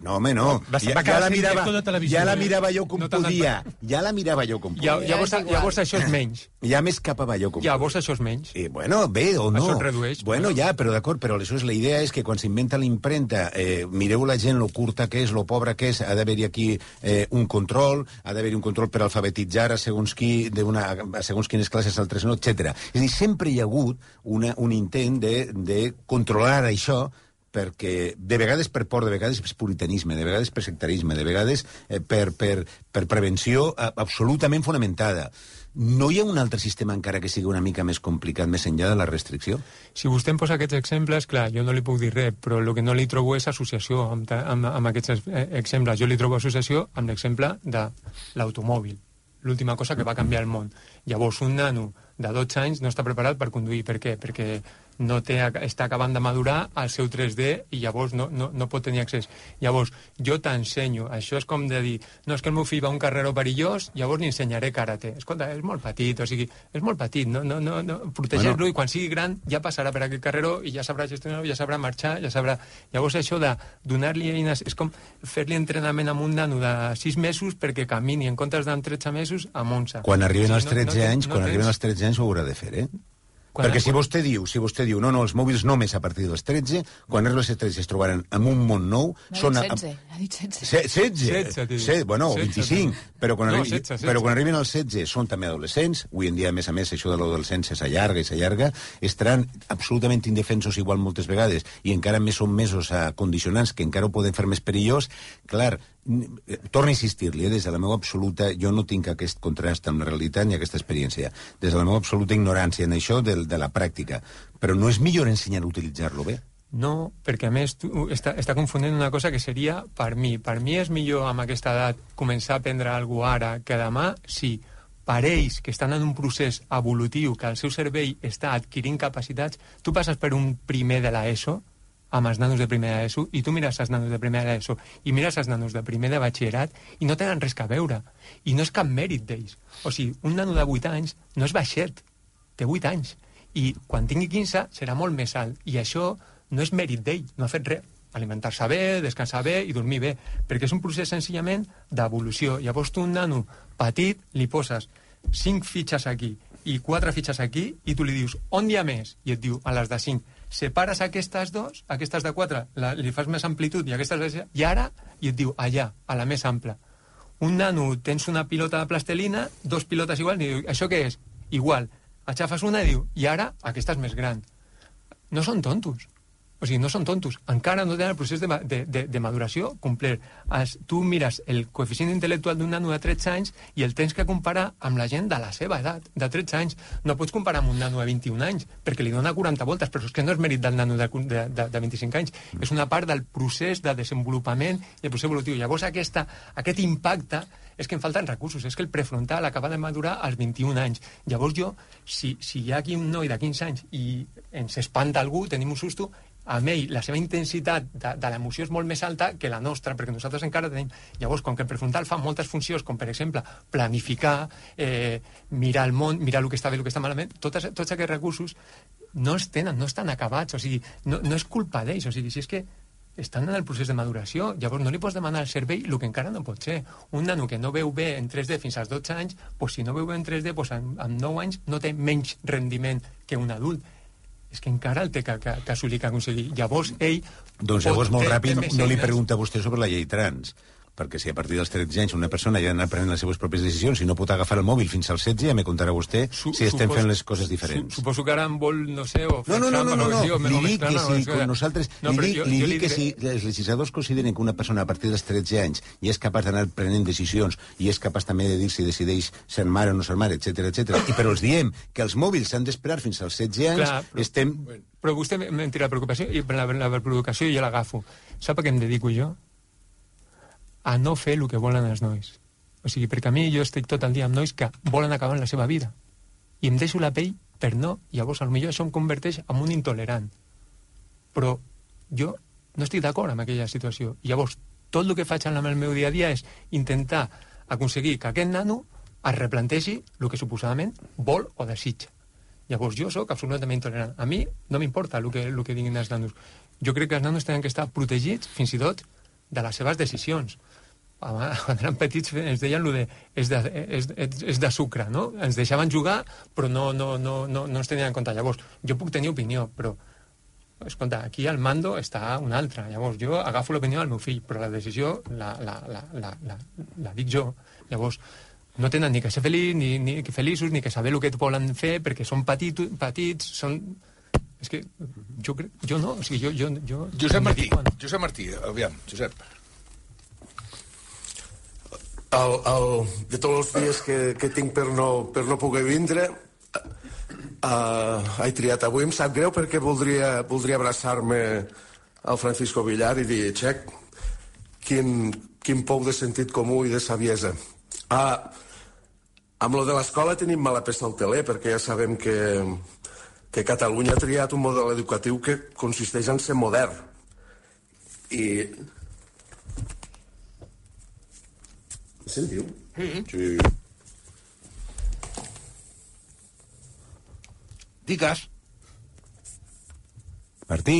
No, home, no. Ja la mirava jo com podia. Ja la mirava jo com podia. Llavors això és menys. Ja m'escapava jo com podia. Llavors això és menys. Bueno, bé o no. Això es redueix. Bueno, ja, però d'acord, però aleshores la idea és que quan s'inventa la impremta, mireu la gent, lo curta que és, lo pobra que és, ha d'haver-hi aquí un control, ha d'haver-hi un control per alfabetitzar a segons quines classes, altres no, etc. És a dir, sempre hi ha hagut un intent de controlar això perquè de vegades per por, de vegades per puritanisme, de vegades per sectarisme, de vegades per prevenció absolutament fonamentada. no hi ha un altre sistema encara que sigui una mica més complicat, més enllà de la restricció? Si vostè em posa aquests exemples, clar, jo no li puc dir res, però el que no li trobo és associació amb aquests exemples. Jo li trobo associació amb l'exemple de l'automòbil, l'última cosa que va canviar el món. Llavors, un nano de 12 anys no està preparat per conduir. Per què? Perquè està acabant de madurar el seu 3D i llavors no pot tenir accés. Llavors, jo t'ensenyo. Això és com de dir, no, és que el meu fill va a un carreró perillós, llavors li ensenyaré karate. Escolta, és molt petit, o sigui, és molt petit, no protegeix-lo, i quan sigui gran ja passarà per aquest carreró i ja sabrà gestionar-ho, ja sabrà marxar, ja sabrà... Llavors això de donar-li eines és com fer-li entrenament a un nano de 6 mesos perquè camini en comptes d'en 13 mesos a 11. Quan arriben als 13 anys, ho haurà de fer, Perquè si vostè diu, no, els mòbils només a partir dels 13, quan arriben als 13 es trobaran en un món nou... Ha dit 16. 16? Bueno, 25. Però quan arriben als 16 són també adolescents. Avui en dia, a més, això de l'adolescència s'allarga, estaran absolutament indefensos igual moltes vegades, i encara més són mesos condicionants que encara ho poden fer més perillós. Clar, torno a insistir-li, des de la meva absoluta... Jo no tinc aquest contrast amb la realitat ni aquesta experiència. Des de la meva absoluta ignorància en això de la pràctica. Però no és millor ensenyar a utilitzar-lo bé? No, perquè a més tu està confonent una cosa que seria per mi. Per mi és millor amb aquesta edat començar a aprendre alguna cosa ara que demà, si per ells que estan en un procés evolutiu, que el seu cervell està adquirint capacitats, tu passes per un primer de l'ESO, amb els nanos de primer d'ESO, i tu mires els nanos de primer d'ESO i mires els nanos de primer de batxillerat i no tenen res a veure. I no és cap mèrit d'ells. O sigui, un nano de 8 anys no és baixet, té 8 anys. I quan tingui 15 serà molt més alt. I això no és mèrit d'ell, no ha fet res. Alimentar-se bé, descansar bé i dormir bé. Perquè és un procés senzillament d'evolució. Llavors tu, un nano petit, li poses 5 fitxes aquí i 4 fitxes aquí, i tu li dius, on hi ha més? I et diu, a les de 5. Separes aquestes dos, aquestes de 4, li fas més amplitud, i aquestes de 6, i ara, i et diu, allà, a la més ampla. Un nano, tens una pilota de plastelina, 2 pilotes igual, i diu, això què és? Igual. Aixafes una i diu, i ara, aquesta és més gran. No són tontos. O sigui, no són tontos. Encara no tenen el procés de maduració complet. Tu mires el coeficient intel·lectual d'un nano de 13 anys i el tens que comparar amb la gent de la seva edat, de 13 anys. No pots comparar amb un nano de 21 anys, perquè li dona 40 voltes, però és que no és mèrit del nano de 25 anys. És una part del procés de desenvolupament i el procés evolutiu. Llavors, aquest impacte és que em falten recursos. És que el prefrontal acaba de madurar als 21 anys. Llavors jo, si hi ha aquí un noi de 15 anys i ens espanta algú, tenim un susto, amb ell la seva intensitat de l'emoció és molt més alta que la nostra, perquè nosaltres encara tenim... Llavors, com que el prefrontal fa moltes funcions, com per exemple planificar, mirar el món, mirar el que està bé, el que està malament, tots aquests recursos no estan acabats, o sigui, no és culpa d'ells, o sigui, si és que estan en el procés de maduració, llavors no li pots demanar al cervell el que encara no pot ser. Un nano que no veu bé en 3D fins als 12 anys, doncs si no veu bé en 3D, doncs amb 9 anys no té menys rendiment que un adult. És que encara el té que assolir, que aconseguir. Llavors, ell... Doncs llavors, molt ràpid, no li pregunta a vostè sobre la llei trans, perquè si a partir dels 13 anys una persona ja ha d'anar prenent les seves pròpies decisions i no pot agafar el mòbil fins als 16, ja me contarà vostè si estem fent les coses diferents. Suposo que ara em vol, no sé... No. Li dic que si com nosaltres... Li dic que si els legisladors consideren que una persona a partir dels 13 anys ja és capaç d'anar prenent decisions i és capaç també de dir si decideix ser mare o no ser mare, etc. I però els diem que els mòbils s'han d'esperar fins als 16 anys, estem... Però vostè m'ha tirat la preocupació i la provocació jo l'agafo. Sap a què em dedico jo? A no fer el que volen els nois. O sigui, perquè a mi jo estic tot el dia amb nois que volen acabar la seva vida. I em deixo la pell per no. Llavors, potser això em converteix en un intolerant. Però jo no estic d'acord amb aquella situació. I llavors, tot el que faig en el meu dia a dia és intentar aconseguir que aquest nano es replantegi el que suposadament vol o desitja. Llavors, jo sóc absolutament intolerant. A mi no m'importa el que diguin els nanos. Jo crec que els nanos tenen que estar protegits, fins i tot, de les seves decisions. Quan eren petits ens deien és de sucre, no? Ens deixaven jugar, però no ens tenien en compte. Llavors, jo puc tenir opinió, però escolta, aquí al mando està un altre. Llavors, jo agafo l'opinió del meu fill, però la decisió la dic jo. Llavors, no tenen ni que ser feliços, ni que saber el que volen fer, perquè són petits, són... És que jo no, o sigui, jo... Josep Martí, aviam, Josep. de tots els dies que tinc per no poder vindre, he triat avui. Em sap greu perquè voldria abraçar-me al Francisco Villar i dir, xec, quin pou de sentit comú i de saviesa. Amb lo de l'escola tenim mala peça al teler, perquè ja sabem que Catalunya ha triat un model educatiu que consisteix en ser modern. I... Sentiu? Sí. Digues. Martí.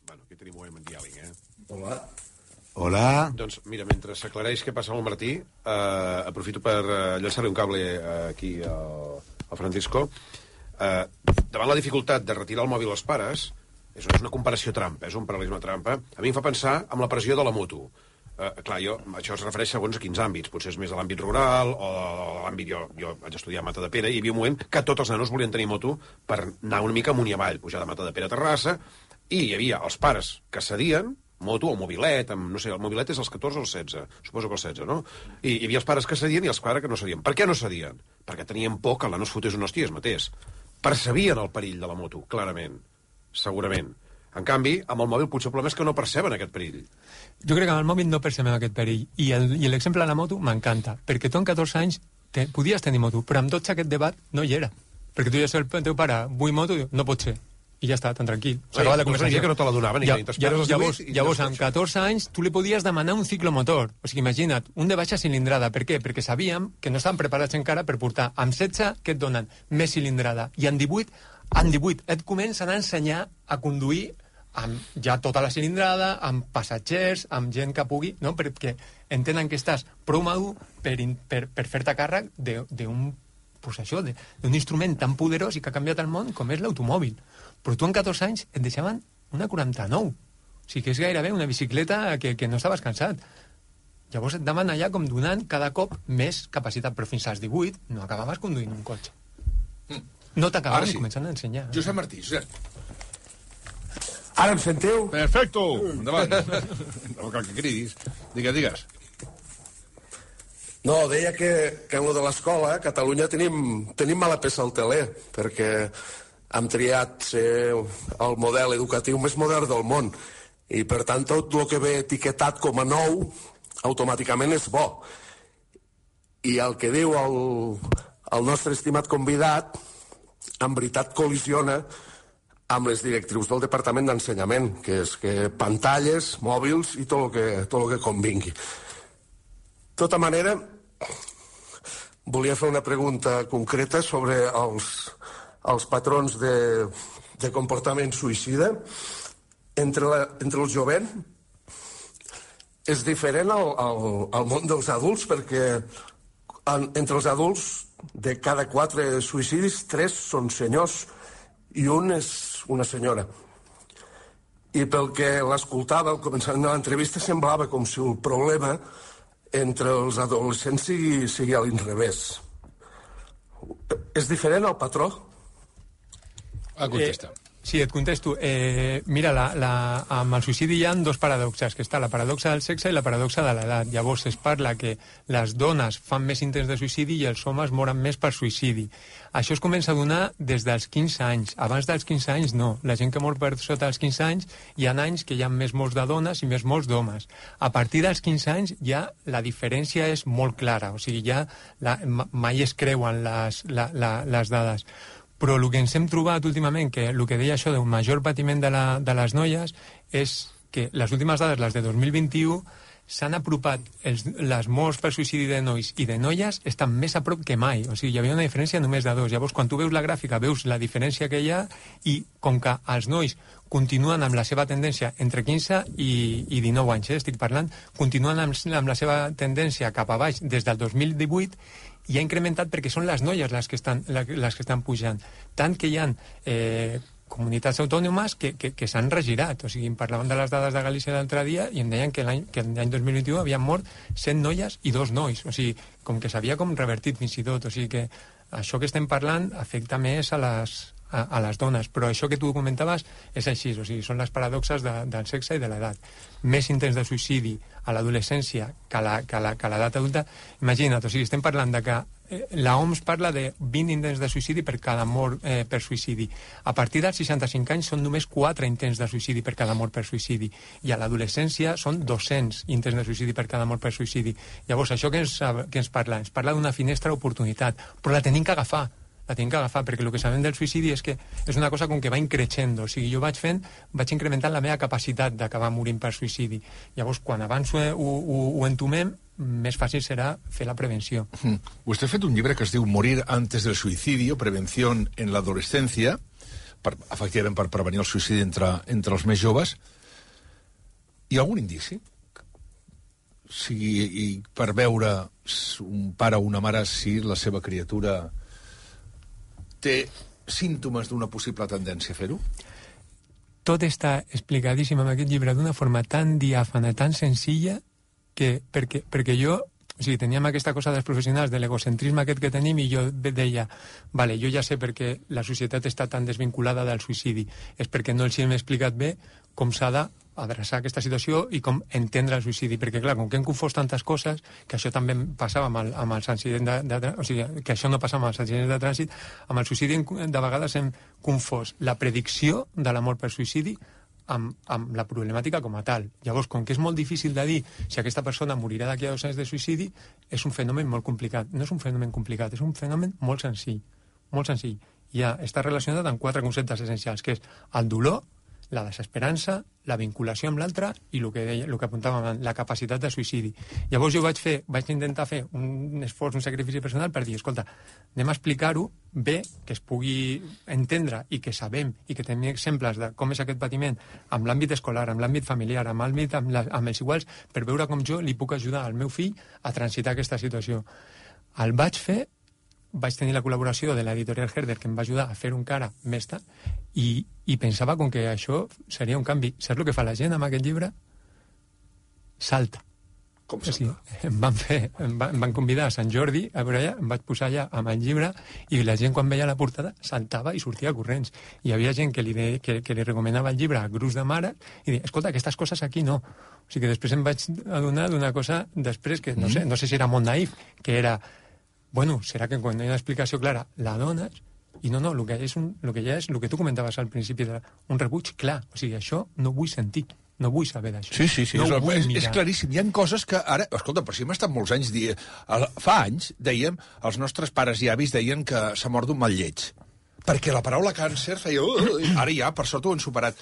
Bueno, aquí tenim un diàleg, Hola. Hola. Doncs, mira, mentre s'aclareix què passa amb el Martí, aprofito per llançar-li un cable aquí al Francisco. Davant la dificultat de retirar el mòbil als pares, és una comparació trampa, és un paral·lelisme trampa, a mi em fa pensar en la pressió de la moto. Clar, això es refereix segons a quins àmbits. Potser és més a l'àmbit rural o a l'àmbit... Jo vaig estudiar a Matadepera i hi havia un moment que tots els nanos volien tenir moto per anar una mica amunt i avall, pujar de Matadepera a Terrassa, i hi havia els pares que cedien, moto o mobilet, no sé, el mobilet és els 14 o els 16, suposo que els 16, no? I hi havia els pares que cedien i els pares que no cedien. Per què no cedien? Perquè tenien por que el nano es fotés un hòstia es matés. Percebien el perill de la moto, clarament, segurament. En canvi, amb el mòbil potser el problema és que no perceben aquest perill. Jo crec que amb el mòbil no percebem aquest perill. I l'exemple de la moto m'encanta, perquè tu amb 14 anys podies tenir moto, però amb 12 aquest debat no hi era. Perquè tu ja saps el teu pare, vull moto, no pot ser. I ja està, tan tranquil. S'acaba la conversació. Que no te la donaven. Llavors, amb 14 anys, tu li podies demanar un ciclomotor. O sigui, imagina't, un de baixa cilindrada. Per què? Perquè sabíem que no estaven preparats encara per portar. Amb 16, què et donen? Més cilindrada. I amb 18 et comencen a ensenyar a conduir amb ja tota la cilindrada, amb passatgers, amb gent que pugui... No? Perquè entenen que estàs prou madur per fer-te càrrec d'un instrument tan poderós i que ha canviat el món com és l'automòbil. Però tu amb 14 anys et deixaven una 49. O sigui que és gairebé una bicicleta que no estaves cansat. Llavors et demanen allà com donant cada cop més capacitat, però fins als 18 no acabaves conduint un cotxe. No t'acabaven començant a ensenyar. Josep Martí, Josep. Ara em sentiu? Perfecto. Endavant. No cal que cridis. Digues. No, deia que en lo de l'escola a Catalunya tenim mala peça al teler, perquè hem triat ser el model educatiu més modern del món i per tant tot el que ve etiquetat com a nou automàticament és bo. I el que diu el nostre estimat convidat en veritat col·lisiona amb les directrius del Departament d'Ensenyament, que és que pantalles, mòbils i tot el que convingui. De tota manera, volia fer una pregunta concreta sobre els patrons de comportament suïcida. Entre el jovent és diferent al món dels adults, perquè entre els adults de cada 4 suïcidis 3 són senyors i un és una senyora. I pel que l'escoltava al començament de l'entrevista semblava com si el problema entre els adolescents sigui a l'inrevés. És diferent el patró? Contesta. Sí, et contesto. Mira, amb el suïcidi hi ha 2 paradoxes, que està la paradoxa del sexe i la paradoxa de l'edat. Llavors es parla que les dones fan més intents de suïcidi i els homes moren més per suïcidi. Això es comença a donar des dels 15 anys. Abans dels 15 anys no. La gent que mor per sota dels 15 anys hi ha anys que hi ha més morts de dones i més morts d'homes. A partir dels 15 anys ja la diferència és molt clara. O sigui, ja mai es creuen les dades. Però el que ens hem trobat últimament, que el que deia això d'un major patiment de les noies, és que les últimes dades, les de 2021, s'han apropat, les morts per suïcidi de nois i de noies estan més a prop que mai. O sigui, hi havia una diferència només de 2. Llavors, quan tu veus la gràfica, veus la diferència que hi ha i com que els nois continuen amb la seva tendència entre 15 i 19 anys, estic parlant, continuen amb la seva tendència cap a baix des del 2018 i ha incrementat perquè són les noies les que estan pujant. Tant que hi ha comunitats autònomes que s'han regirat. O sigui, em parlaven de les dades de Galícia l'altre dia i em deien que l'any 2021 havien mort 100 noies i 2 nois. O sigui, com que s'havia revertit fins i tot. O sigui que això que estem parlant afecta més a a les dones, però això que tu comentaves és així, o sigui, són les paradoxes del sexe i de l'edat. Més intents de suïcidi a l'adolescència que a l'edat adulta. Imagina't, o sigui, estem parlant de que la OMS parla de 20 intents de suïcidi per cada mort per suïcidi. A partir dels 65 anys són només 4 intents de suïcidi per cada mort per suïcidi. I a l'adolescència són 200 intents de suïcidi per cada mort per suïcidi. Llavors, això que ens parla? Ens parla d'una finestra d'oportunitat, però la tenim que agafar. Perquè el que sabem del suïcidi és que és una cosa com que va increixendo. O sigui, jo vaig incrementant la meva capacitat d'acabar morint per suïcidi. Llavors, quan abans ho entomem, més fàcil serà fer la prevenció. Vostè ha fet un llibre que es diu Morir antes del suicidio, prevención en la adolescencia, efectivament per prevenir el suïcidi entre els més joves. Hi ha algun indici? O sigui, per veure un pare o una mare si la seva criatura té símptomes d'una possible tendència a fer-ho? Tot està explicadíssim en aquest llibre d'una forma tan diàfana, tan senzilla, perquè jo, o sigui, teníem aquesta cosa dels professionals, de l'egocentrisme aquest que tenim, i jo deia, vale, jo ja sé perquè la societat està tan desvinculada del suïcidi, és perquè no els hem explicat bé com s'ha d'adreçar aquesta situació i com entendre el suïcidi, perquè clar, com que hem confós tantes coses, que això també passava amb els accidents o sigui, que això no passava amb els accidents de trànsit, amb el suïcidi de vegades hem confós la predicció de la mort per suïcidi amb la problemàtica com a tal. Llavors, com que és molt difícil de dir si aquesta persona morirà d'aquí a 2 anys de suïcidi, és un fenomen molt complicat. No és un fenomen complicat, és un fenomen molt senzill. Molt senzill. Ja està relacionat amb 4 conceptes essencials, que és el dolor, la desesperança, la vinculació amb l'altre i el que apuntàvem, la capacitat de suïcidi. Llavors jo vaig intentar fer un esforç, un sacrifici personal per dir, escolta, anem a explicar-ho bé, que es pugui entendre i que sabem i que tenim exemples de com és aquest patiment amb l'àmbit escolar, amb l'àmbit familiar, amb els iguals, per veure com jo li puc ajudar al meu fill a transitar aquesta situació. El vaig tenir la col·laboració de l'editorial Herder, que em va ajudar a fer un cara mestre, i pensava com que això seria un canvi. Saps el que fa la gent amb aquest llibre? Salta. Com salta? Em van convidar a Sant Jordi, a veure allà, em vaig posar allà amb el llibre, i la gent, quan veia la portada, saltava i sortia corrents. Hi havia gent que li recomanava el llibre a grups de mares, i deia, escolta, aquestes coses aquí no. O sigui que després em vaig adonar d'una cosa després, que no sé si era molt naïf, que era, bueno, serà que quan hi ha una explicació clara la dones, i no, el que ja és el que tu comentaves al principi, un rebuig clar. O sigui, això no vull sentir, no vull saber d'això. Sí, no és claríssim. Hi ha coses que ara... Escolta, però si hem estat molts anys... Fa anys, dèiem, els nostres pares i avis deien que s'ha mort d'un mal lleig. Perquè la paraula càncer feia... Ara ja, per sort, ho han superat.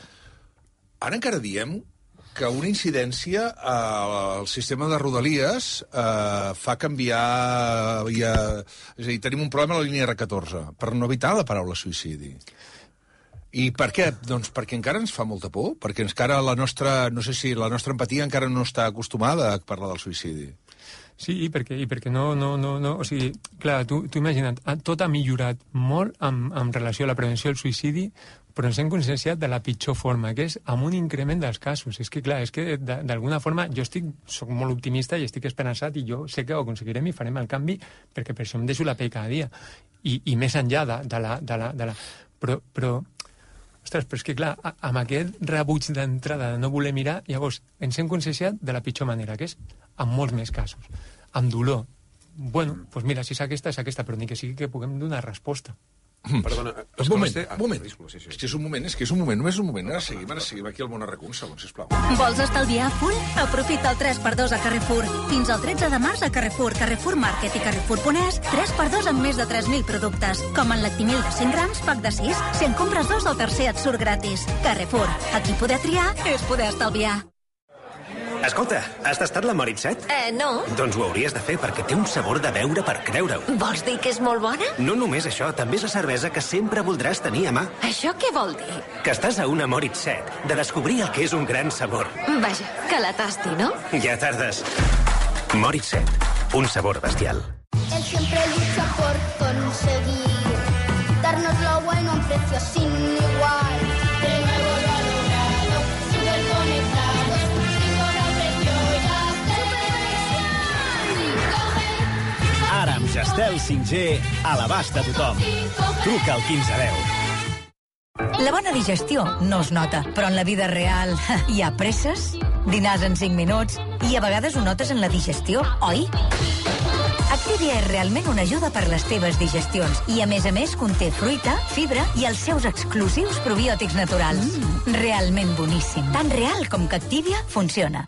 Ara encara diem que una incidència al sistema de Rodalies fa canviar... És a dir, tenim un problema a la línia R14 per no evitar la paraula suïcidi. I per què? Doncs perquè encara ens fa molta por, perquè encara la nostra empatia encara no està acostumada a parlar del suïcidi. Sí, i perquè no... O sigui, clar, tu imagina't, tot ha millorat molt en relació a la prevenció del suïcidi, però ens hem conscienciat de la pitjor forma, que és amb un increment dels casos. És que, clar, d'alguna forma jo soc molt optimista i estic esperançat, i jo sé que ho aconseguirem i farem el canvi, perquè per això em deixo la pell cada dia. I més enllà de la... Però ostres, però és que, clar, amb aquest rebuig d'entrada de no voler mirar, llavors ens hem conscienciat de la pitjor manera, que és amb molts més casos. Amb dolor. Bueno, doncs mira, si és aquesta, però ni que sigui que puguem donar resposta. Perdona, un moment. És que és un moment, només un moment. Ara seguim aquí al Món Arracó, un segon, sisplau. Vols estalviar full? Aprofita el 3x2 a Carrefour. Fins al 13 de març a Carrefour, Carrefour Market i Carrefour.es, 3x2 amb més de 3.000 productes. Com en Lactimil de 100 grams, pack de 6. Si en compres 2, el tercer et surt gratis. Carrefour. Aquí poder triar és poder estalviar. Escolta, has tastat la Moritz-7? No. Doncs ho hauries de fer, perquè té un sabor de beure per creure-ho. Vols dir que és molt bona? No només això, també és la cervesa que sempre voldràs tenir a mà. Això què vol dir? Que estàs a una Moritz-7, de descobrir el que és un gran sabor. Vaja, que la tasti, ¿no? Ja tardes. Moritz-7, un sabor bestial. Él siempre lucha por conseguir darnos lo bueno a un precio sin igual. De nuevo lo ha logrado, súper conectados. Ara amb Gestel 5G a l'abast de tothom. Truca al 1510. La bona digestió no es nota, però en la vida real hi ha presses, dinars en 5 minuts, i a vegades ho notes en la digestió, oi? Activia és realment una ajuda per les teves digestions i, a més, conté fruita, fibra i els seus exclusius probiòtics naturals. Realment boníssim. Tan real com que Activia funciona.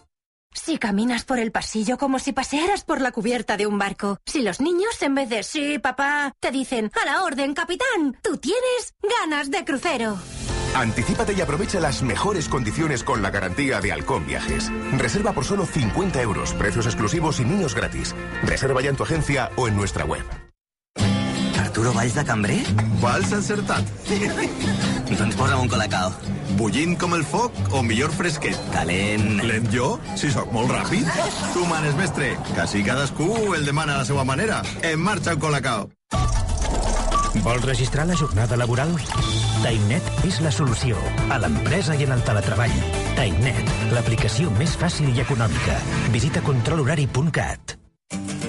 Si caminas por el pasillo como si pasearas por la cubierta de un barco. Si los niños, en vez de sí, papá, te dicen a la orden, capitán, tú tienes ganas de crucero. Anticípate y aprovecha las mejores condiciones con la garantía de Halcón Viajes. Reserva por solo 50 euros, precios exclusivos y niños gratis. Reserva ya en tu agencia o en nuestra web. Arturo Valls de cambrer? Valls encertat. Doncs posa'm un colacao. Bullint com el foc o millor fresquet? Calent. Lent jo? Si sóc molt ràpid. Tu manes, mestre, que si cadascú el demana a la seva manera. En marxa un colacao. Vols registrar la jornada laboral? TimeNet és la solució a l'empresa i en el teletreball. TimeNet, l'aplicació més fàcil i econòmica. Visita controlhorari.cat.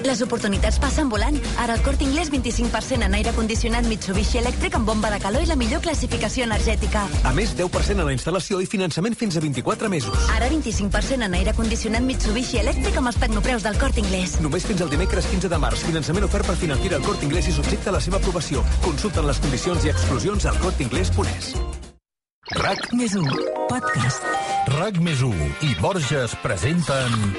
Les oportunitats passen volant. Ara al Corte Inglés 25% en aire condicionat Mitsubishi elèctric amb bomba de calor i la millor classificació energètica. A més, 10% en la instal·lació i finançament fins a 24 mesos. Ara 25% en aire condicionat Mitsubishi elèctric amb els tecnopreus del Corte Inglés. Només fins al dimecres 15 de març. Finançament ofert per Financiera al Corte Inglés i subjecte a la seva aprovació. Consulten les condicions i exclusions al corteinglés.es. RAC+1 Podcast. RAC+1 i Borges presenten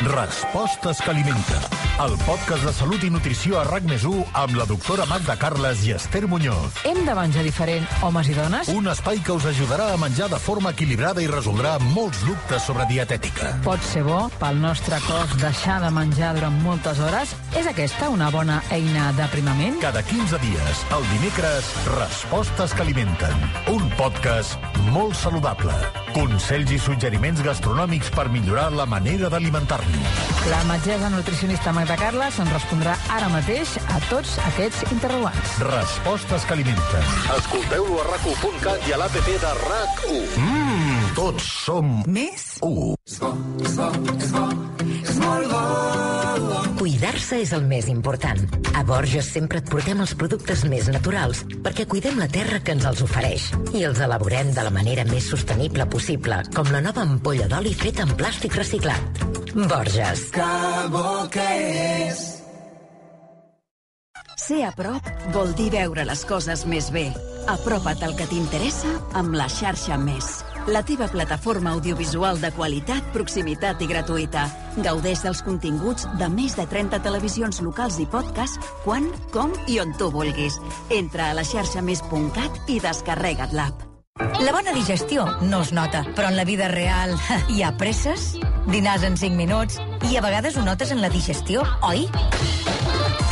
Respostes que alimenten, el podcast de salut i nutrició a RAC+1 amb la doctora Magda Carles i Esther Muñoz. Hem de menjar diferent, homes i dones? Un espai que us ajudarà a menjar de forma equilibrada i resoldrà molts dubtes sobre dietètica. Pot ser bo pel nostre cos deixar de menjar durant moltes hores? És aquesta una bona eina d'aprimament? Cada 15 dies, el dimecres, Respostes que alimenten. Un podcast molt saludable. Consells i suggeriments gastronòmics per millorar la manera d'alimentar-nos. La metgessa nutricionista Magda Carles ens respondrà ara mateix a tots aquests interrogants. Respostes que alimenten. Escolteu-lo a RAC1.cat i a l'APP de RAC1. Tots som més 1. És molt bo. Cuidar-se és el més important. A Borges sempre et portem els productes més naturals perquè cuidem la terra que ens els ofereix i els elaborem de la manera més sostenible possible, com la nova ampolla d'oli feta en plàstic reciclat. Borges. Que bo que és. Ser a prop vol dir veure les coses més bé. Apropa't al que t'interessa amb la xarxa Més. La teva plataforma audiovisual de qualitat, proximitat i gratuïta. Gaudeix dels continguts de més de 30 televisions locals i podcast quan, com i on tu vulguis. Entra a la xarxamés.cat i descarrega't l'app. La bona digestió no es nota, però en la vida real hi ha presses, dinars en 5 minuts, i a vegades ho notes en la digestió, oi?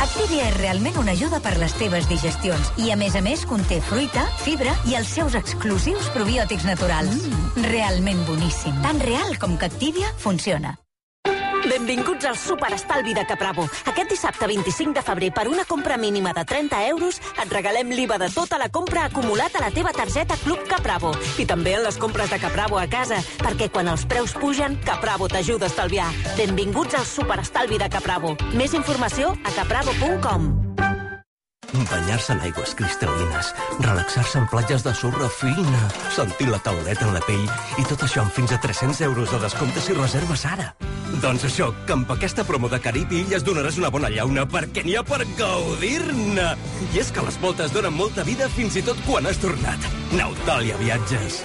Activia és realment una ajuda per les teves digestions i, a més, conté fruita, fibra i els seus exclusius probiòtics naturals. Realment boníssim. Tan real com que Activia funciona. Benvinguts al Superestalvi de Capravo. Aquest dissabte 25 de febrer, per una compra mínima de 30 euros, et regalem l'IVA de tota la compra acumulat a la teva targeta Club Capravo. I també en les compres de Capravo a casa, perquè quan els preus pugen, Capravo t'ajuda a estalviar. Benvinguts al Superestalvi de Capravo. Més informació a capravo.com. Banyar-se en aigües cristal·lines, relaxar-se en platges de sorra fina, sentir la tauleta en la pell i tot això amb fins a 300 euros de descompte si reserves ara. Doncs això, que amb aquesta promo de Carib i Illes donaràs una bona llauna perquè n'hi ha per gaudir-ne. I és que les voltes donen molta vida fins i tot quan has tornat. Nautàlia Viatges.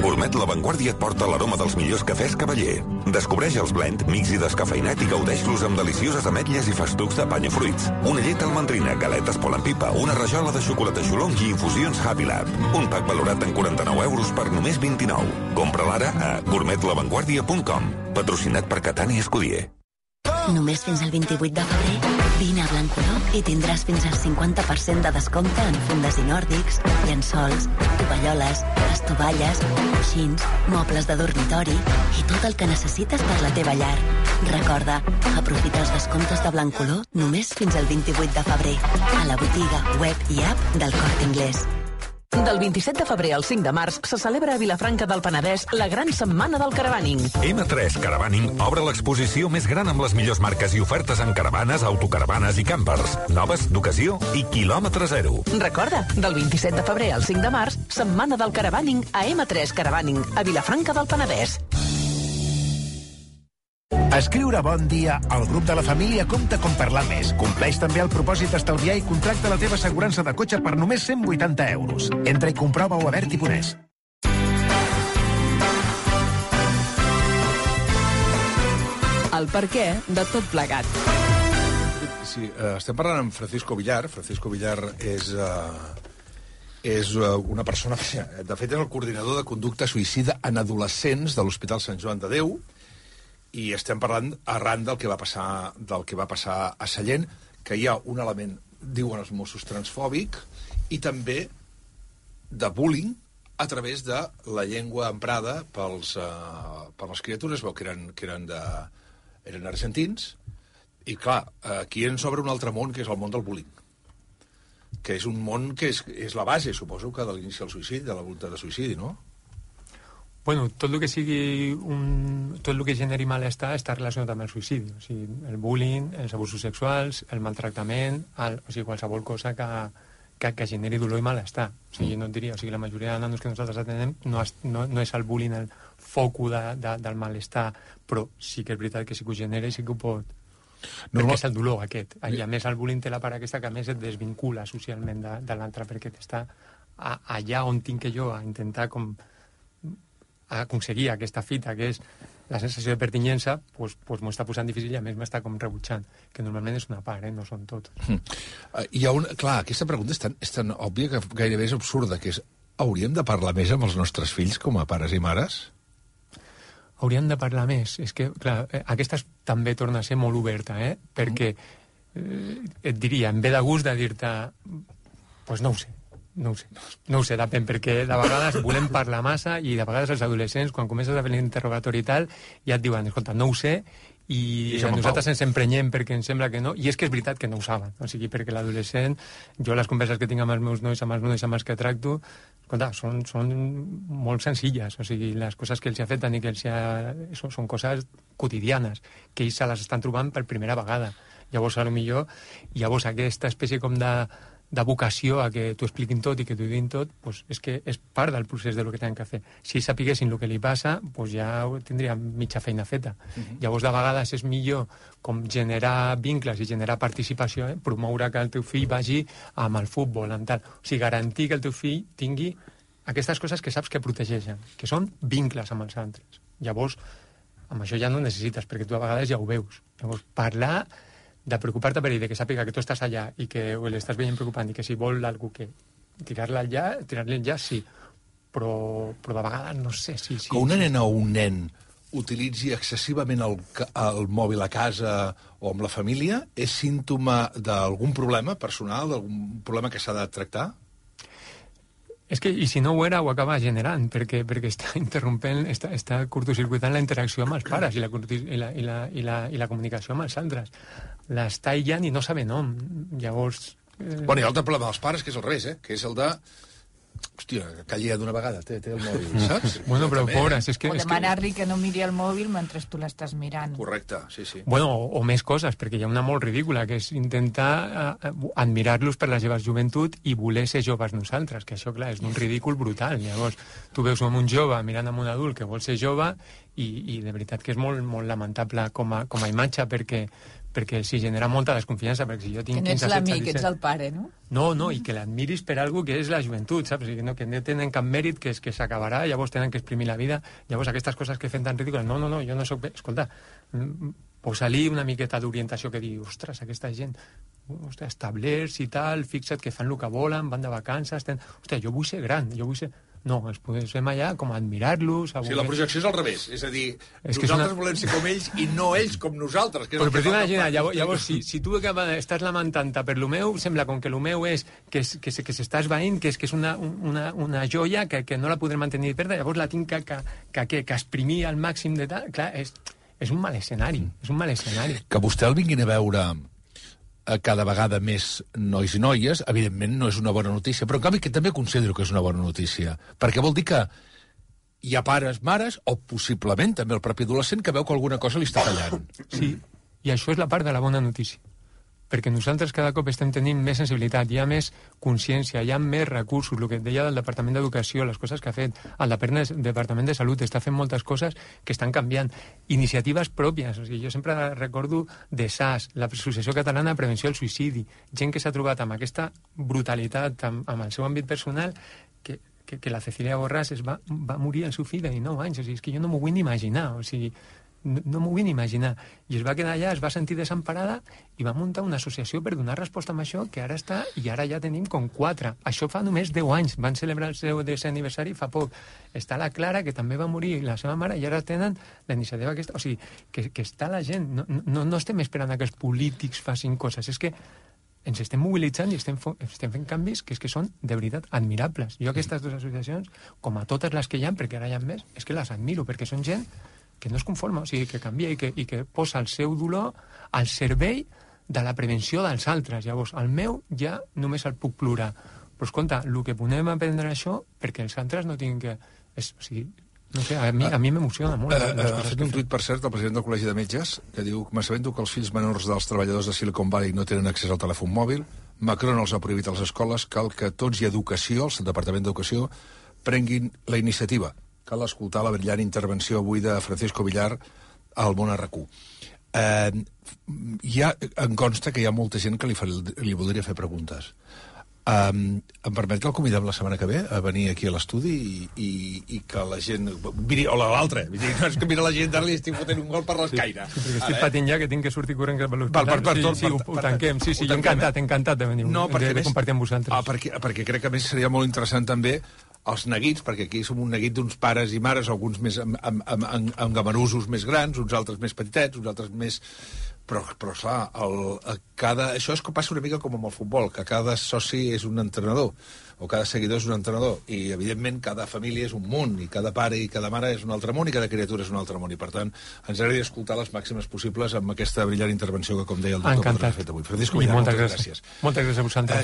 Gourmet La Vanguardia et porta l'aroma dels millors cafès Cavaller. Descobreix els blend, mix i descafeinat i gaudeix-los amb delicioses ametlles i festucs de panya fruits. Una llet almendrina, galetes Pol en Pipa, una rajola de xocolata xolong i infusions Happy Lab. Un pack valorat en 49 euros per només 29. Compra-la ara a gourmetlavanguardia.com. Patrocinat per Catani Escudier. Només fins al 28 de febrer, vine a Blancolor i tindràs fins al 50% de descompte en fundes i nòrdics, llençols, tovalloles, estovalles, coixins, mobles de dormitori i tot el que necessites per la teva llar. Recorda, aprofita els descomptes de Blancolor només fins al 28 de febrer, a la botiga, web i app del Corte Inglés. Del 27 de febrer al 5 de març se celebra a Vilafranca del Penedès la gran setmana del caravaning. M3 Caravaning obre l'exposició més gran amb les millors marques i ofertes en caravanes, autocaravanes i campers. Noves, d'ocasió i quilòmetre zero. Recorda, del 27 de febrer al 5 de març, setmana del caravaning a M3 Caravaning, a Vilafranca del Penedès. Escriure bon dia al grup de la família compta com parlar més. Compleix també el propòsit d'estalviar i contracta la teva assegurança de cotxe per només 180 euros. Entra i comprova-ho a Berti.es. El perquè de tot plegat. Sí, estem parlant amb Francisco Villar. Francisco Villar és una persona... De fet, és el coordinador de conducta suïcida en adolescents de l'Hospital Sant Joan de Déu, i estem parlant arran del que va passar a Sallent, que hi ha un element, diuen els Mossos, transfòbic, i també de bullying a través de la llengua emprada per les criatures, que eren argentins, i clar, aquí ens obre un altre món, que és el món del bullying, que és un món que és la base, suposo, que de l'inici del suïcidi, de la voluntat de suïcidi, no? Bueno, tot el que sigui tot el que generi malestar està relacionat amb el suïcidi. O sigui, el bullying, els abusos sexuals, el maltractament, o sigui, qualsevol cosa que generi dolor i malestar. O sigui, jo no et diria, o sigui, la majoria de nanos que nosaltres atenem no és el bullying el foco del malestar, però sí que és veritat que sí que ho genera i sí que ho pot... Perquè és el dolor aquest. I a més el bullying té la part aquesta que a més et desvincula socialment de l'altre, perquè t'està allà on tinc que jo a intentar com aconseguir aquesta fita, que és la sensació de pertinyença, doncs m'ho està posant difícil i a més m'està com rebutjant, que normalment és una part, no són tots. Clar, aquesta pregunta és tan òbvia que gairebé és absurda, que és, hauríem de parlar més amb els nostres fills com a pares i mares? Hauríem de parlar més. És que, clar, aquesta també torna a ser molt oberta, perquè et diria, em ve de gust de dir-te, doncs no ho sé, depèn, perquè de vegades volem parlar massa i de vegades els adolescents, quan comences a fer l'interrogatori i tal, ja et diuen, escolta, no ho sé, i nosaltres ens emprenyem perquè ens sembla que no, i és que és veritat que no ho saben, o sigui, perquè l'adolescent, jo les converses que tinc amb els meus nois, amb els que tracto, escolta, són molt senzilles, o sigui, les coses que els ha fet i que són coses quotidianes, que ells se les estan trobant per primera vegada. Llavors, potser, llavors aquesta espècie com de vocació a que t'ho expliquin tot i que t'ho diguin tot, doncs és que és part del procés del que tenen que fer. Si sapiguessin el que li passa, doncs ja tindríem mitja feina feta. Llavors, de vegades és millor com generar vincles i generar participació, promoure que el teu fill vagi amb el futbol, amb tal. O sigui, garantir que el teu fill tingui aquestes coses que saps que protegeixen, que són vincles amb els altres. Llavors, amb això ja no necessites, perquè tu a vegades ja ho veus. Llavors, parlar de preocupar-te per ell, de que sàpiga que tu estàs allà i que l'estàs veient preocupant i que si vol algú que tirar-li allà, sí. Però de vegades no sé si... Que una nena o un nen utilitzi excessivament el mòbil a casa o amb la família és símptoma d'algun problema personal, d'algun problema que s'ha de tractar? És que, i si no ho era, ho acaba generant, perquè està interrompent, està curtocircuitant la interacció amb els pares i la comunicació amb els altres. L'està aïllant i no sabe nom. Llavors... Bueno, hi ha l'altre problema dels pares, que és al revés, que és el de... Hòstia, calli d'una vegada, té el mòbil, saps? Bueno, però pobres, és que... O demanar-li que no miri el mòbil mentre tu l'estàs mirant. Correcte, sí. Bueno, o més coses, perquè hi ha una molt ridícula, que és intentar admirar-los per la seva joventut i voler ser joves nosaltres, que això, clar, és un ridícul brutal. Llavors, tu veus un jove mirant amb un adult que vol ser jove i de veritat que és molt, molt lamentable com a imatge, perquè s'hi genera molta desconfiança, perquè si jo tinc 15, 16... Que no ets l'amic, ets el pare, no? No, i que l'admiris per algo que és la joventut, saps? Que no tenen cap mèrit, que s'acabarà, llavors tenen que exprimir la vida, llavors aquestes coses que fem tan ridícules, no, jo no soc... Escolta, posa-li una miqueta d'orientació que digui, ostres, aquesta gent, establerts i tal, fixa't que fan el que volen, van de vacances, ostres, jo vull ser gran, No, els posem allà com a admirar-los... Sí, la projecció és al revés. És a dir, nosaltres volem ser com ells i no ells com nosaltres. Però t'imagina, llavors, si tu estàs lamentant-te per lo meu, sembla com que lo meu és que s'està esvaint, que és una joia que no la podrem mantenir de perdre, llavors la tinc que exprimir al màxim de tal... Clar, és un mal escenari, és un mal escenari. Que vostè el vinguin a veure cada vegada més nois i noies, evidentment no és una bona notícia, però en canvi que també considero que és una bona notícia, perquè vol dir que hi ha pares, mares, o possiblement també el propi adolescent que veu que alguna cosa li està fallant. Sí, i això és la part de la bona notícia, perquè nosaltres cada cop estem tenint més sensibilitat, hi ha més consciència, hi ha més recursos, el que deia del Departament d'Educació, les coses que ha fet, el Departament de Salut està fent moltes coses que estan canviant, iniciatives pròpies, o sigui, jo sempre recordo de SAS, l'Associació Catalana de Prevenció del Suïcidi, gent que s'ha trobat amb aquesta brutalitat, amb el seu àmbit personal, que la Cecilia Borràs va morir al seu fill de 19 anys, o sigui, és que jo no m'ho vull ni imaginar, o sigui, no m'ho vull ni imaginar. I es va quedar allà, es va sentir desemparada i va muntar una associació per donar resposta a això, que ara està, i ara ja tenim com 4. Això fa només 10 anys. Van celebrar el seu 10è aniversari fa poc. Està la Clara, que també va morir, la seva mare, i ara tenen la iniciativa aquesta. O sigui, que està la gent. No estem esperant que els polítics facin coses. És que ens estem mobilitzant i estem fent canvis que són, de veritat, admirables. Jo aquestes dues associacions, com a totes les que hi ha, perquè ara hi ha més, és que les admiro, perquè són gent que no es conforma, o sigui, que canvia i que posa el seu dolor al servei de la prevenció dels altres. Llavors, el meu ja només el puc plorar. Però, escolta, el que podem aprendre això, perquè els altres no tinguin que... O sigui, no sé, a mi m'emociona molt. Ha fet un tuit, per cert, el president del Col·legi de Metges, que diu: m'assabento que els fills menors dels treballadors de Silicon Valley no tenen accés al telèfon mòbil, Macron els ha prohibit a les escoles, cal que tots i Educació, el Departament d'Educació, prenguin la iniciativa. Cal escoltar la brillant intervenció avui de Francisco Villar al Món RQ. Em consta que hi ha molta gent que li voldria fer preguntes. Em permet que el convidem la setmana que ve a venir aquí a l'estudi i que la gent... O l'altre. No és que mira la gent d'ara li estic fotent un gol per l'escaire. Sí, perquè estic patint ja que tinc que sortir corrent cap a l'hospital. Sí, ho tanquem. Sí, jo encantat de venir, de compartir amb vosaltres. Perquè crec que a més seria molt interessant també els neguits, perquè aquí som un neguit d'uns pares i mares, alguns més amb gamarusos més grans, uns altres més petitets, uns altres més... Però clar, això és que passa una mica com amb el futbol, que cada soci és un entrenador, o cada seguidor és un entrenador, i evidentment cada família és un món, i cada pare i cada mare és un altre món, i cada criatura és un altre món, i per tant ens agradaria escoltar les màximes possibles amb aquesta brillant intervenció que, com deia el doctor, ha fet avui. Francisco Villar, moltes gràcies. Moltes gràcies a vosaltres.